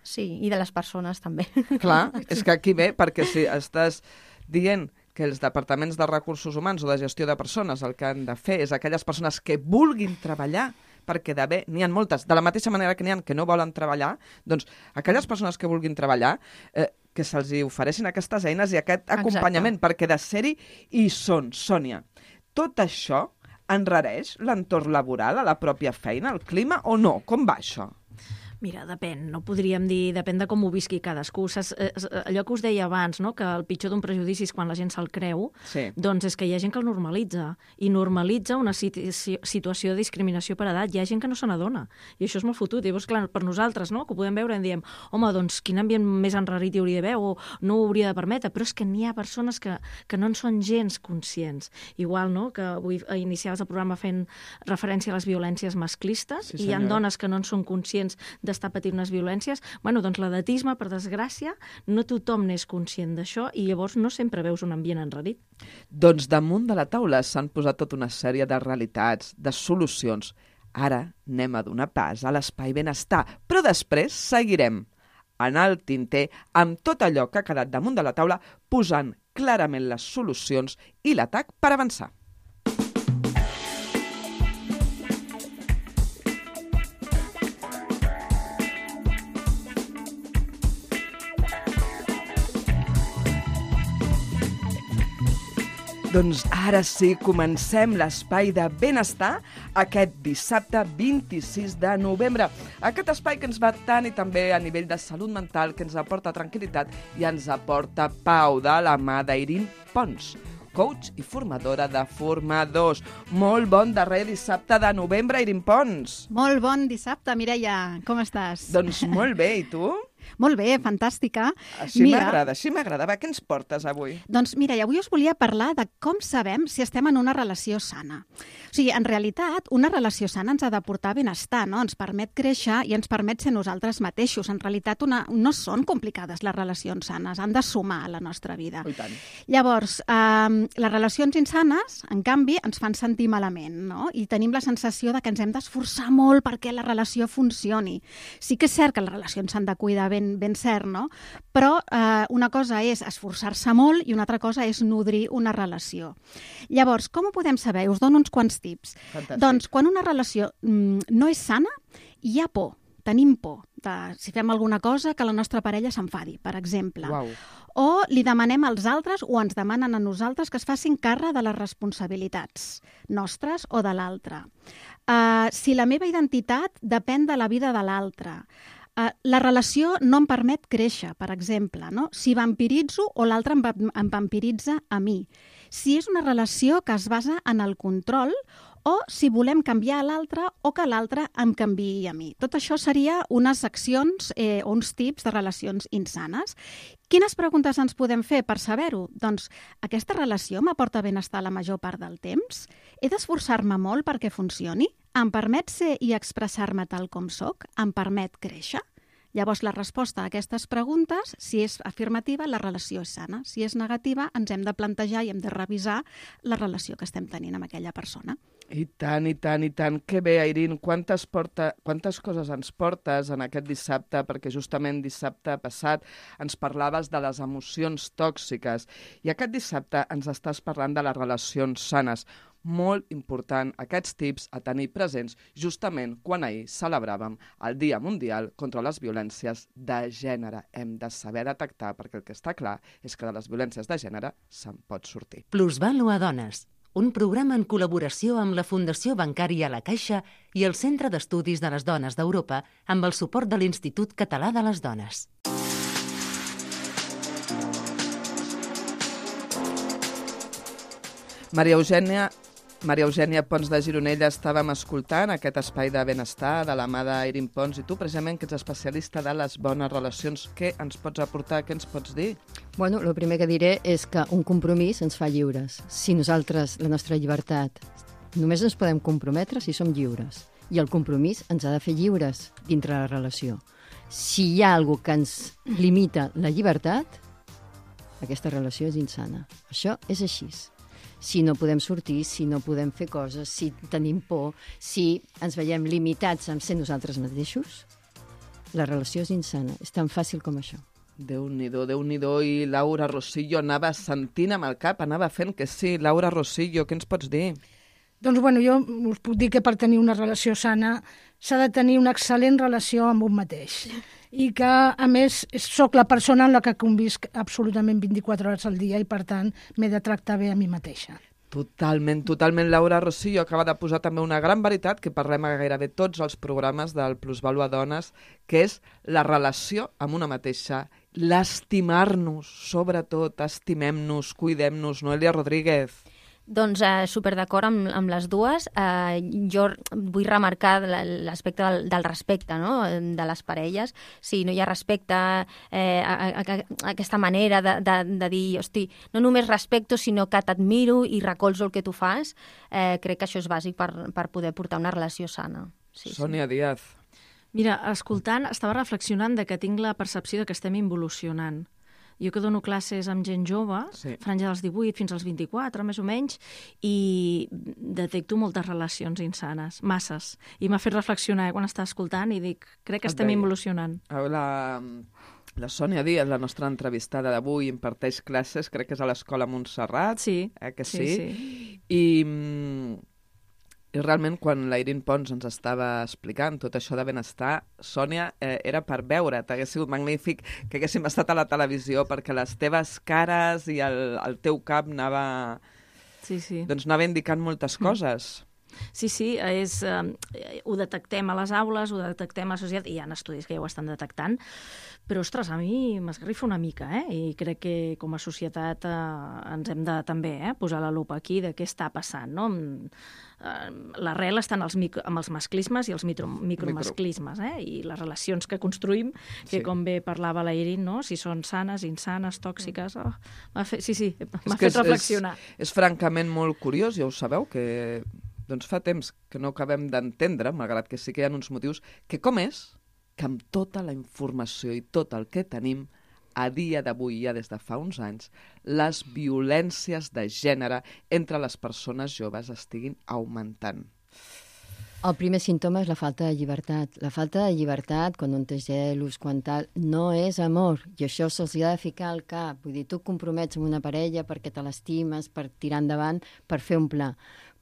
F: Sí, i de les persones també.
B: Clar, és que aquí ve, perquè si estàs dient que els departaments de recursos humans o de gestió de persones el que han de fer és aquelles persones que vulguin treballar, perquè d'haver, n'hi ha moltes, de la mateixa manera que n'hi ha que no volen treballar, doncs aquelles persones que vulguin treballar, eh, que se'ls ofereixin aquestes eines i aquest acompanyament, exacte, perquè de ser-hi hi són, Sònia. Tot això enrareix l'entorn laboral a la pròpia feina, el clima, o no? Com va això?
C: Mira, depèn, no podríem dir, depèn de com ho visqui cadascú. Saps, allò que us deia abans, no? Que el pitjor d'un prejudici és quan la gent se'l creu, sí, doncs és que hi ha gent que el normalitza, i normalitza una situació de discriminació per edat. Hi ha gent que no se n'adona, i això és molt fotut. I llavors, clar, per nosaltres, no?, que ho podem veure, en diem, home, doncs quin ambient més enrarit hi hauria d'haver, o no ho hauria de permetre, però és que n'hi ha persones que, que no en són gens conscients. Igual, no?, que avui iniciaves el programa fent referència a les violències masclistes, sí, i hi ha dones que no en són conscients d'estar patint unes violències. Bueno, doncs l'edatisme, per desgràcia, no tothom n'és conscient d'això i llavors no sempre veus un ambient enrarit.
B: Doncs damunt de la taula s'han posat tota una sèrie de realitats, de solucions. Ara anem a donar pas a l'espai benestar, però després seguirem en el tinter amb tot allò que ha quedat damunt de la taula, posant clarament les solucions i l'atac per avançar. Doncs ara sí, comencem l'espai de benestar aquest dissabte vint-i-sis de novembre. Aquest espai que ens va tant i també a nivell de salut mental, que ens aporta tranquil·litat i ens aporta pau de la mà d'Irin Pons, coach i formadora de formadors. Molt bon darrer dissabte de novembre, Irin Pons.
G: Molt bon dissabte, Mireia. Com estàs?
B: Doncs molt bé, i tu?
G: Molt bé, fantàstica.
B: Així m'agrada, així m'agrada. Va, què ens portes avui?
G: Doncs mira, avui us volia parlar de com sabem si estem en una relació sana. O sigui, en realitat, una relació sana ens ha de portar benestar, no? Ens permet créixer i ens permet ser nosaltres mateixos. En realitat, una, no són complicades les relacions sanes, han de sumar a la nostra vida.
B: Oh, i tant.
G: Llavors, eh, les relacions insanes, en canvi, ens fan sentir malament, no? I tenim la sensació de que ens hem d'esforçar molt perquè la relació funcioni. Sí que és cert que les relacions s'han de cuidar ben, ben cert, no? Però eh, una cosa és esforçar-se molt i una altra cosa és nodrir una relació. Llavors, com ho podem saber? Us dono uns quants tips.
B: Fantàstic.
G: Doncs quan una relació mm, no és sana, hi ha por. Tenim por de, si fem alguna cosa, que la nostra parella s'enfadi, per exemple.
B: Uau.
G: O li demanem als altres o ens demanen a nosaltres que es facin càrrec de les responsabilitats nostres o de l'altre. Uh, si la meva identitat depèn de la vida de l'altre. Uh, la relació no em permet créixer, per exemple, no? Si vampiritzo o l'altre em, va, em vampiritza a mi. Si és una relació que es basa en el control o si volem canviar a l'altre o que l'altre em canviï a mi. Tot això seria unes accions eh, o uns tips de relacions insanes. Quines preguntes ens podem fer per saber-ho? Doncs, aquesta relació m'aporta benestar la major part del temps? He d'esforçar-me molt perquè funcioni? Em permet ser i expressar-me tal com sóc? Em permet créixer? Llavors, la resposta a aquestes preguntes, si és afirmativa, la relació és sana. Si és negativa, ens hem de plantejar i hem de revisar la relació que estem tenint amb aquella persona.
B: I tant, i tant, i tant. Que bé, Irin, quantes, porta, quantes coses ens portes en aquest dissabte, perquè justament dissabte passat ens parlaves de les emocions tòxiques i aquest dissabte ens estàs parlant de les relacions sanes. Molt important aquests tips a tenir presents justament quan ahir celebràvem el Dia Mundial contra les Violències de Gènere. Hem de saber detectar, perquè el que està clar és que de les violències de gènere se'n pot sortir.
A: Plusvàlua Dones, un programa en col·laboració amb la Fundació Bancària La Caixa i el Centre d'Estudis de les Dones d'Europa amb el suport de l'Institut Català de les Dones.
B: Maria Eugènia Maria Eugènia Pons de Gironella, estàvem escoltant aquest espai de benestar de la mà d'Irin Pons i tu, precisament, que ets especialista de les bones relacions. Què ens pots aportar? Què ens pots dir?
E: Bueno, el primer que diré és que un compromís ens fa lliures. Si nosaltres, la nostra llibertat, només ens podem comprometre si som lliures. I el compromís ens ha de fer lliures dintre la relació. Si hi ha alguna que ens limita la llibertat, aquesta relació és insana. Això és així. Si no podem sortir, si no podem fer coses, si tenim por, si ens veiem limitats en ser nosaltres mateixos, la relació és insana. És tan fàcil com això.
B: Déu-n'hi-do, Déu-n'hi-do. I Laura Rosillo anava sentint amb el cap, anava fent que sí. Laura Rosillo, què ens pots dir?
D: Doncs bueno, jo us puc dir que per tenir una relació sana s'ha de tenir una excel·lent relació amb un mateix. I que, a més, sóc la persona en la que convisc absolutament vint-i-quatre hores al dia i, per tant, m'he de tractar bé a mi mateixa.
B: Totalment, totalment. Laura Rosillo acaba de posar també una gran veritat que parlem a gairebé tots els programes del Plusvàlua Dones, que és la relació amb una mateixa, l'estimar-nos, sobretot, estimem-nos, cuidem-nos. Noelia Rodríguez.
F: Doncs eh, super d'acord amb, amb les dues. Eh, jo vull remarcar l'aspecte del, del respecte, no?, de les parelles. Si no hi ha respecte, eh, a, a, a, a aquesta manera de, de, de dir, hosti, no només respecto, sinó que t'admiro i recolzo el que tu fas, eh, crec que això és bàsic per, per poder portar una relació sana. Sí,
B: Sònia
F: sí.
B: Díaz.
C: Mira, escoltant, estava reflexionant de que tinc la percepció de que estem involucionant. Jo que dono classes amb gent jove, sí. franja dels divuit fins als vint-i-quatre, més o menys, i detecto moltes relacions insanes, masses. I m'ha fet reflexionar eh, quan estava escoltant i dic, crec que estem involucionant.
B: La, la Sònia Díaz, la nostra entrevistada d'avui, imparteix classes, crec que és a l'Escola Montserrat.
C: Sí,
B: eh, que sí.
C: sí, sí.
B: I... I realment, quan la Irin Pons ens estava explicant tot això de benestar, Sònia, eh, era per veure't. Hauria sigut magnífic que haguéssim estat a la televisió perquè les teves cares i el, el teu cap anava,
C: sí, sí.
B: doncs anava indicant moltes coses.
C: Sí, sí, és, eh, ho detectem a les aules, ho detectem a la societat, i hi ha estudis que ja ho estan detectant, però, ostres, a mi m'esgarrifa una mica, eh? I crec que com a societat eh, ens hem de també eh, posar la lupa aquí de què està passant, no? Eh, l'arrel està en els micro, amb els masclismes i els micro, micromasclismes, eh? I les relacions que construïm, que sí. com bé parlava la Irin, no? Si són sanes, insanes, tòxiques... Oh, m'ha fet, sí, sí, m'ha fet
B: és,
C: reflexionar.
B: És, és francament molt curiós, ja ho sabeu, que doncs fa temps que no acabem d'entendre, malgrat que sí que hi ha uns motius, que com és que amb tota la informació i tot el que tenim, a dia d'avui, ja des de fa uns anys, les violències de gènere entre les persones joves estiguin augmentant.
E: El primer símptoma és la falta de llibertat. La falta de llibertat, quan un té gelos, quan tal, no és amor. I això se'ls ha de ficar al cap. Vull dir, tu et compromets amb una parella perquè te l'estimes, per tirar endavant, per fer un pla.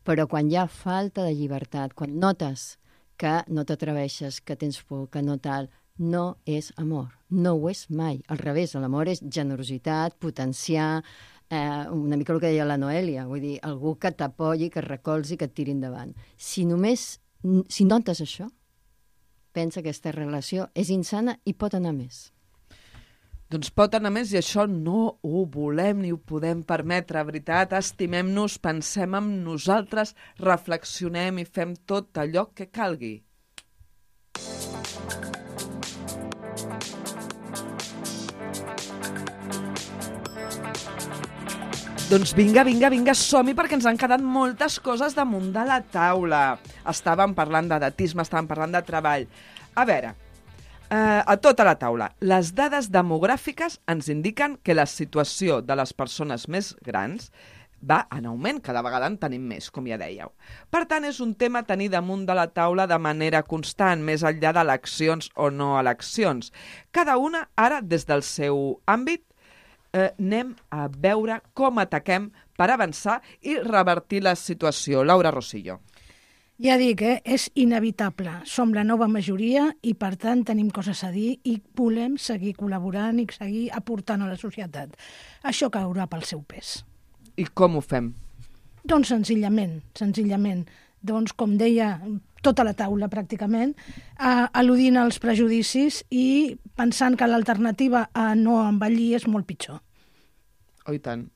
E: Però quan hi ha falta de llibertat, quan notes que no t'atreveixes, que tens por, que no tal, no és amor. No ho és mai. Al revés, l'amor és generositat, potenciar, eh, una mica el que deia la Noèlia, vull dir, algú que t'apoyi, que et recolzi, que et tiri endavant. Si només, si notes això, pensa que aquesta relació és insana i pot anar més.
B: Doncs pot anar més i això no ho volem ni ho podem permetre, veritat. Estimem-nos, pensem en nosaltres, reflexionem i fem tot allò que calgui. Doncs vinga, vinga, vinga, som-hi perquè ens han quedat moltes coses damunt de la taula. Estàvem parlant d'edatisme, estàvem parlant de treball. A veure... Uh, a tota la taula, les dades demogràfiques ens indiquen que la situació de les persones més grans va en augment, cada vegada en tenim més, com ja dèieu. Per tant, és un tema a tenir damunt de la taula de manera constant, més enllà d'eleccions o no eleccions. Cada una, ara, des del seu àmbit, eh, anem a veure com ataquem per avançar i revertir la situació. Laura Rosillo.
D: Ja dic, eh? És inevitable. Som la nova majoria i, per tant, tenim coses a dir i volem seguir col·laborant i seguir aportant a la societat. Això caurà pel seu pes.
B: I com ho fem?
D: Doncs senzillament, senzillament. Doncs, com deia, tota la taula pràcticament, eh, al·ludint als prejudicis i pensant que l'alternativa a no envellir és molt pitjor.
B: Oh, i tant.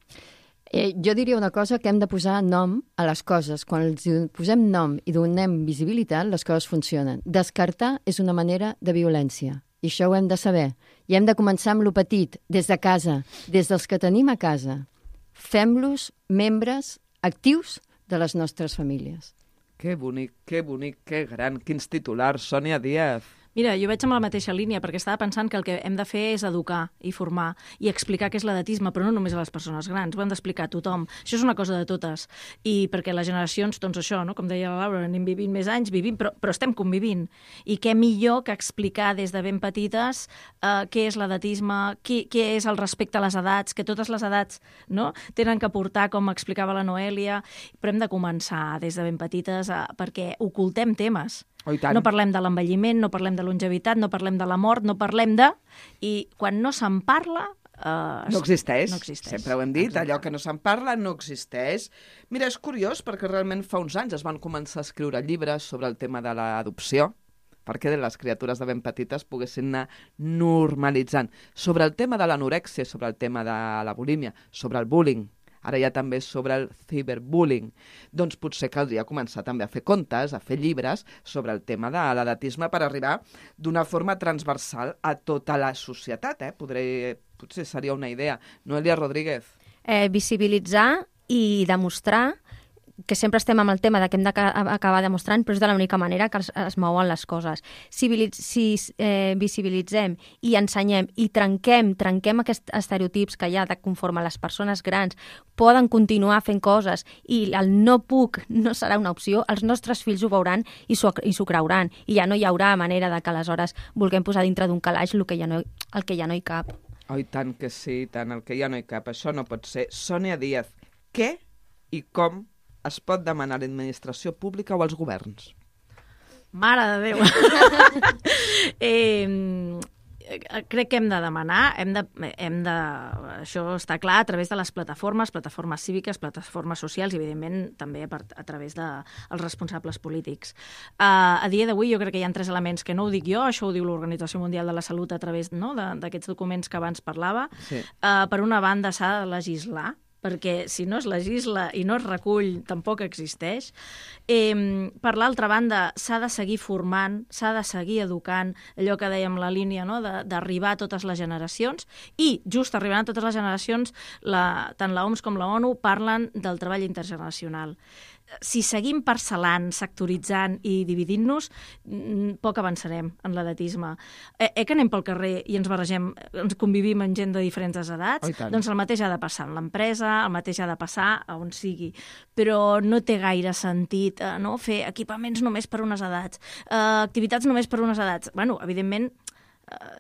E: Eh, jo diria una cosa, que hem de posar nom a les coses. Quan els posem nom i donem visibilitat, les coses funcionen. Descartar és una manera de violència. I això ho hem de saber. I hem de començar amb lo petit, des de casa, des dels que tenim a casa. Fem-los membres actius de les nostres famílies.
B: Que bonic, que bonic, que gran. Quins titulars, Sònia Díaz.
C: Mira, jo veig amb la mateixa línia, perquè estava pensant que el que hem de fer és educar i formar i explicar què és l'edatisme, però no només a les persones grans, ho hem d'explicar a tothom. Això és una cosa de totes. I perquè les generacions, doncs això, no? Com deia la Laura, anem vivint més anys, vivim, però, però estem convivint. I què millor que explicar des de ben petites eh, què és l'edatisme, què, què és el respecte a les edats, que totes les edats no? tenen que aportar, com explicava la Noèlia, però hem de començar des de ben petites a, perquè ocultem temes.
B: Oh,
C: no parlem de l'envelliment, no parlem de longevitat, no parlem de la mort, no parlem de... I quan no se'n parla... Eh,
B: no existeix.
C: No existeix.
B: Sempre ho hem dit,
C: Exacte.
B: Allò que no se'n parla no existeix. Mira, és curiós perquè realment fa uns anys es van començar a escriure llibres sobre el tema de l'adopció, perquè les criatures de ben petites poguessin anar normalitzant. Sobre el tema de l'anorèxia, sobre el tema de la bulímia, sobre el bullying, ara ja també sobre el ciberbullying. Doncs potser caldria començar també a fer contes, a fer llibres sobre el tema de l'edatisme per arribar d'una forma transversal a tota la societat. Eh? Podré, potser seria una idea. Noèlia Rodríguez.
F: Eh, visibilitzar i demostrar que sempre estem amb el tema de que hem d'acabar demostrant, però és de l'única manera que es, es mouen les coses. Si, si eh, visibilitzem i ensenyem i trenquem, trenquem aquests estereotips que hi ha de conforme les persones grans poden continuar fent coses i el no puc no serà una opció, els nostres fills ho veuran i s'ho i s'ho creuran. I ja no hi haurà manera de que aleshores vulguem posar dintre d'un calaix el que ja no, el que ja no hi cap.
B: Oh, i tant que sí, tant, el que ja no hi cap. Això no pot ser. Sònia Díaz, què i com es pot demanar a l'administració pública o als governs?
C: Mare de Déu! eh, crec que hem de demanar, hem de, hem de, això està clar, a través de les plataformes, plataformes cíviques, plataformes socials i, evidentment, també a, a través dels de responsables polítics. Uh, a dia d'avui jo crec que hi ha tres elements que no ho dic jo, això ho diu l'Organització Mundial de la Salut a través, no, d'aquests documents que abans parlava. Sí. Uh, per una banda, s'ha de legislar, perquè si no es legisla i no es recull, tampoc existeix. Eh, per l'altra banda, s'ha de seguir formant, s'ha de seguir educant, allò que dèiem la línia, no? d'arribar a totes les generacions, i just arribant a totes les generacions, la, tant la O M S com la ONU parlen del treball intergeneracional. Si seguim parcel·lant, sectoritzant i dividint-nos, poc avançarem en l'edatisme. Eh, eh que anem pel carrer i ens barregem, ens convivim amb gent de diferents edats, oh, doncs el mateix ha de passar en l'empresa, el mateix ha de passar a on sigui. Però no té gaire sentit eh, no? fer equipaments només per unes edats, eh, activitats només per unes edats. Bueno, evidentment,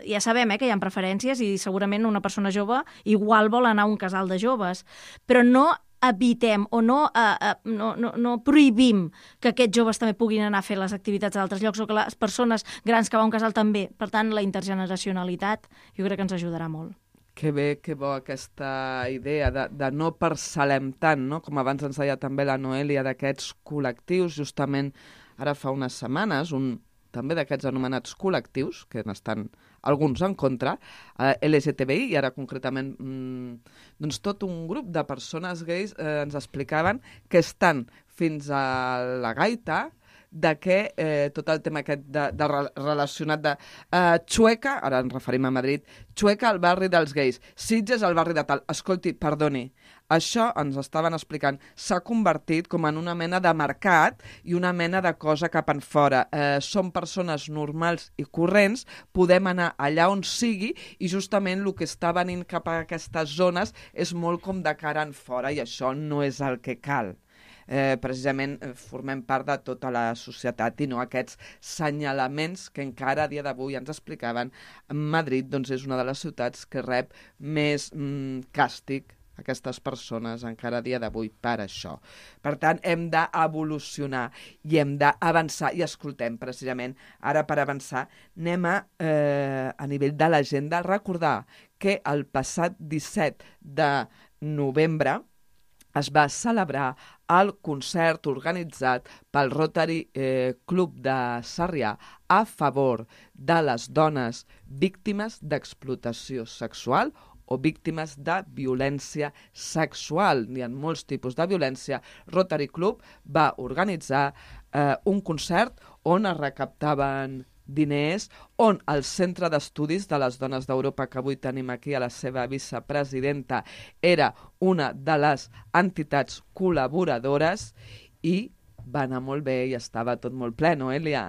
C: ja sabem eh, que hi ha preferències i segurament una persona jove igual vol anar a un casal de joves, però no evitem o no, uh, uh, no, no, no prohibim que aquests joves també puguin anar a fer les activitats a altres llocs o que les persones grans que van a un casal també. Per tant, la intergeneracionalitat jo crec que ens ajudarà molt.
B: Que bé, que bo aquesta idea de, de no parcel·lem tant, no? Com abans ens deia també la Noèlia, d'aquests col·lectius. Justament ara fa unes setmanes, un també d'aquests anomenats col·lectius, que n'estan alguns en contra, eh, L G T B I, i ara concretament mmm, doncs tot un grup de persones gais eh, ens explicaven que estan fins a la gaita de que eh, tot el tema aquest de, de relacionat de eh, Chueca, ara ens referim a Madrid, Chueca al barri dels gais, Sitges al barri de tal. Escolti, perdoni, això ens estaven explicant, s'ha convertit com en una mena de mercat i una mena de cosa cap en fora. Eh, som persones normals i corrents, podem anar allà on sigui i justament el que està venint cap a aquestes zones és molt com de cara en fora i això no és el que cal. Eh, precisament eh, formem part de tota la societat i no aquests senyalaments que encara a dia d'avui ens explicaven. Madrid doncs, és una de les ciutats que rep més mm, càstig aquestes persones encara a dia d'avui per això. Per tant, hem d'evolucionar i hem d'avançar. I escoltem, precisament, ara per avançar, anem a, eh, a nivell de l'agenda, recordar que el passat disset de novembre es va celebrar el concert organitzat pel Rotary eh, Club de Sarrià a favor de les dones víctimes d'explotació sexual o víctimes de violència sexual. Hi ha molts tipus de violència. Rotary Club va organitzar eh, un concert on es recaptaven diners, on el Centre d'Estudis de les Dones d'Europa, que avui tenim aquí a la seva vicepresidenta, era una de les entitats col·laboradores i va anar molt bé i estava tot molt ple, no, Elia?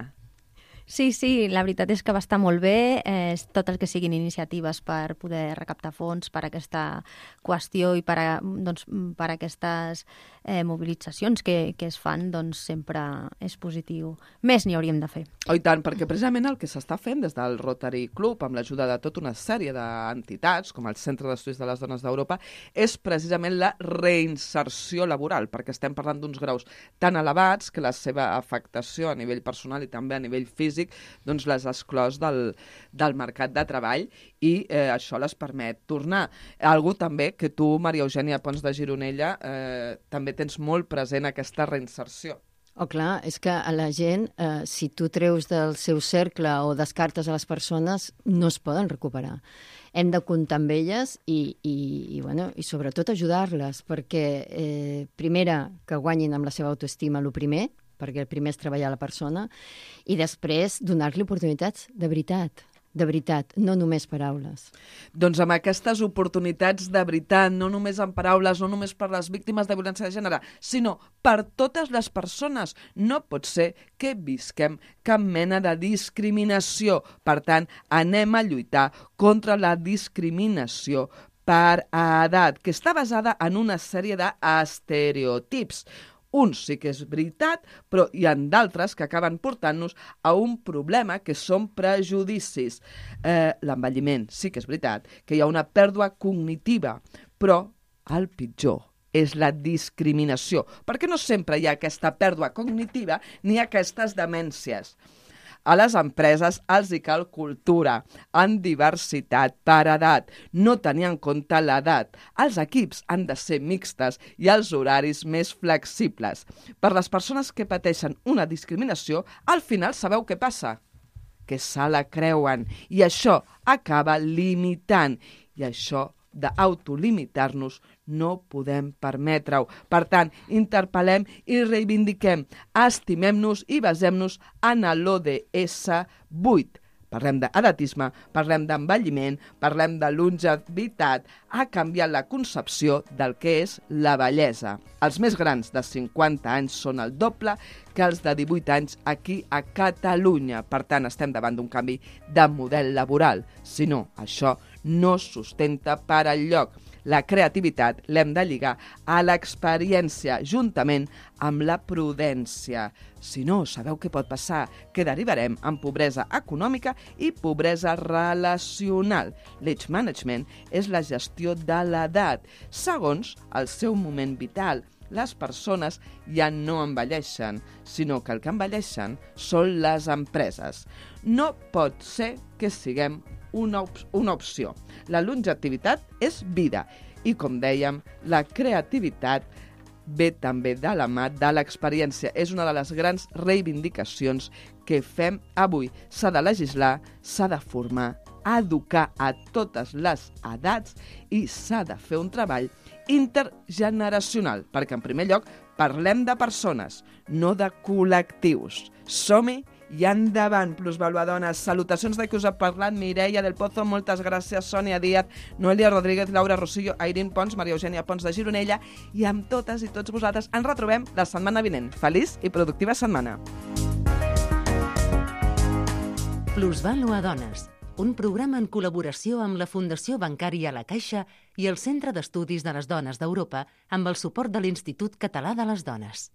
F: Sí, sí, la veritat és que va estar molt bé, eh, tot el que siguin iniciatives per poder recaptar fons per a aquesta qüestió i per a, doncs, per a aquestes eh, mobilitzacions que, que es fan, doncs sempre és positiu. Més n'hi hauríem de fer.
B: Oh, i tant, perquè precisament el que s'està fent des del Rotary Club, amb l'ajuda de tota una sèrie d'entitats, com el Centre d'Estudis de les Dones d'Europa, és precisament la reinserció laboral, perquè estem parlant d'uns graus tan elevats que la seva afectació a nivell personal i també a nivell físic doncs les exclòs del, del mercat de treball i eh, això les permet tornar. Algú també que tu, Maria Eugènia Pons de Gironella, eh, també tens molt present aquesta reinserció.
E: Oh, clar, és que a la gent, eh, si tu treus del seu cercle o descartes a les persones, no es poden recuperar. Hem de comptar amb elles i, i, i, bueno, i sobretot ajudar-les, perquè eh, primera, que guanyin amb la seva autoestima, el primer, perquè el primer és treballar la persona, i després donar-li oportunitats de veritat. de veritat, no només paraules.
B: Doncs amb aquestes oportunitats de veritat, no només en paraules, no només per les víctimes de violència de gènere, sinó per totes les persones. No pot ser que visquem cap mena de discriminació. Per tant, anem a lluitar contra la discriminació per edat, que està basada en una sèrie d'estereotips. Uns sí que és veritat, però hi ha d'altres que acaben portant-nos a un problema que són prejudicis. Eh, L'envelliment sí que és veritat, que hi ha una pèrdua cognitiva, però el pitjor és la discriminació, perquè no sempre hi ha aquesta pèrdua cognitiva ni aquestes demències. A les empreses els hi cal cultura, en diversitat per edat, no tenir en compte l'edat. Els equips han de ser mixtes i els horaris més flexibles. Per les persones que pateixen una discriminació, al final sabeu què passa? Que se la creuen i això acaba limitant. I això d'autolimitar-nos no podem permetre-ho. Per tant, interpel·lem i reivindiquem, estimem-nos i basem-nos en l'O D S vuit. Parlem d'edatisme, parlem d'envelliment, parlem de longevitat. Ha canviat la concepció del que és la bellesa. Els més grans de cinquanta anys són el doble que els de divuit anys aquí a Catalunya. Per tant, estem davant d'un canvi de model laboral. Si no, això no es sustenta per enlloc. La creativitat l'hem de lligar a l'experiència, juntament amb la prudència. Si no, sabeu què pot passar? Que derivarem en pobresa econòmica i pobresa relacional. L'age management és la gestió de l'edat, segons el seu moment vital. Les persones ja no envelleixen, sinó que el que envelleixen són les empreses. No pot ser que siguem una, op una opció. La longevitat és vida i, com dèiem, la creativitat ve també de la mà de l'experiència. És una de les grans reivindicacions que fem avui. S'ha de legislar, s'ha de formar, educar a totes les edats i s'ha de fer un treball intergeneracional, perquè en primer lloc parlem de persones, no de col·lectius. Som-hi i endavant, plusvaluadones. Salutacions de qui us ha parlat, Mireia del Pozo, moltes gràcies, Sònia Díaz, Noelia Rodríguez, Laura Rosillo, Airín Pons, Maria Eugènia Pons de Gironella, i amb totes i tots vosaltres ens retrobem la setmana vinent. Feliç i productiva setmana.
A: Plusvaluadones, un programa en col·laboració amb la Fundació Bancària La Caixa i el Centre d'Estudis de les Dones d'Europa amb el suport de l'Institut Català de les Dones.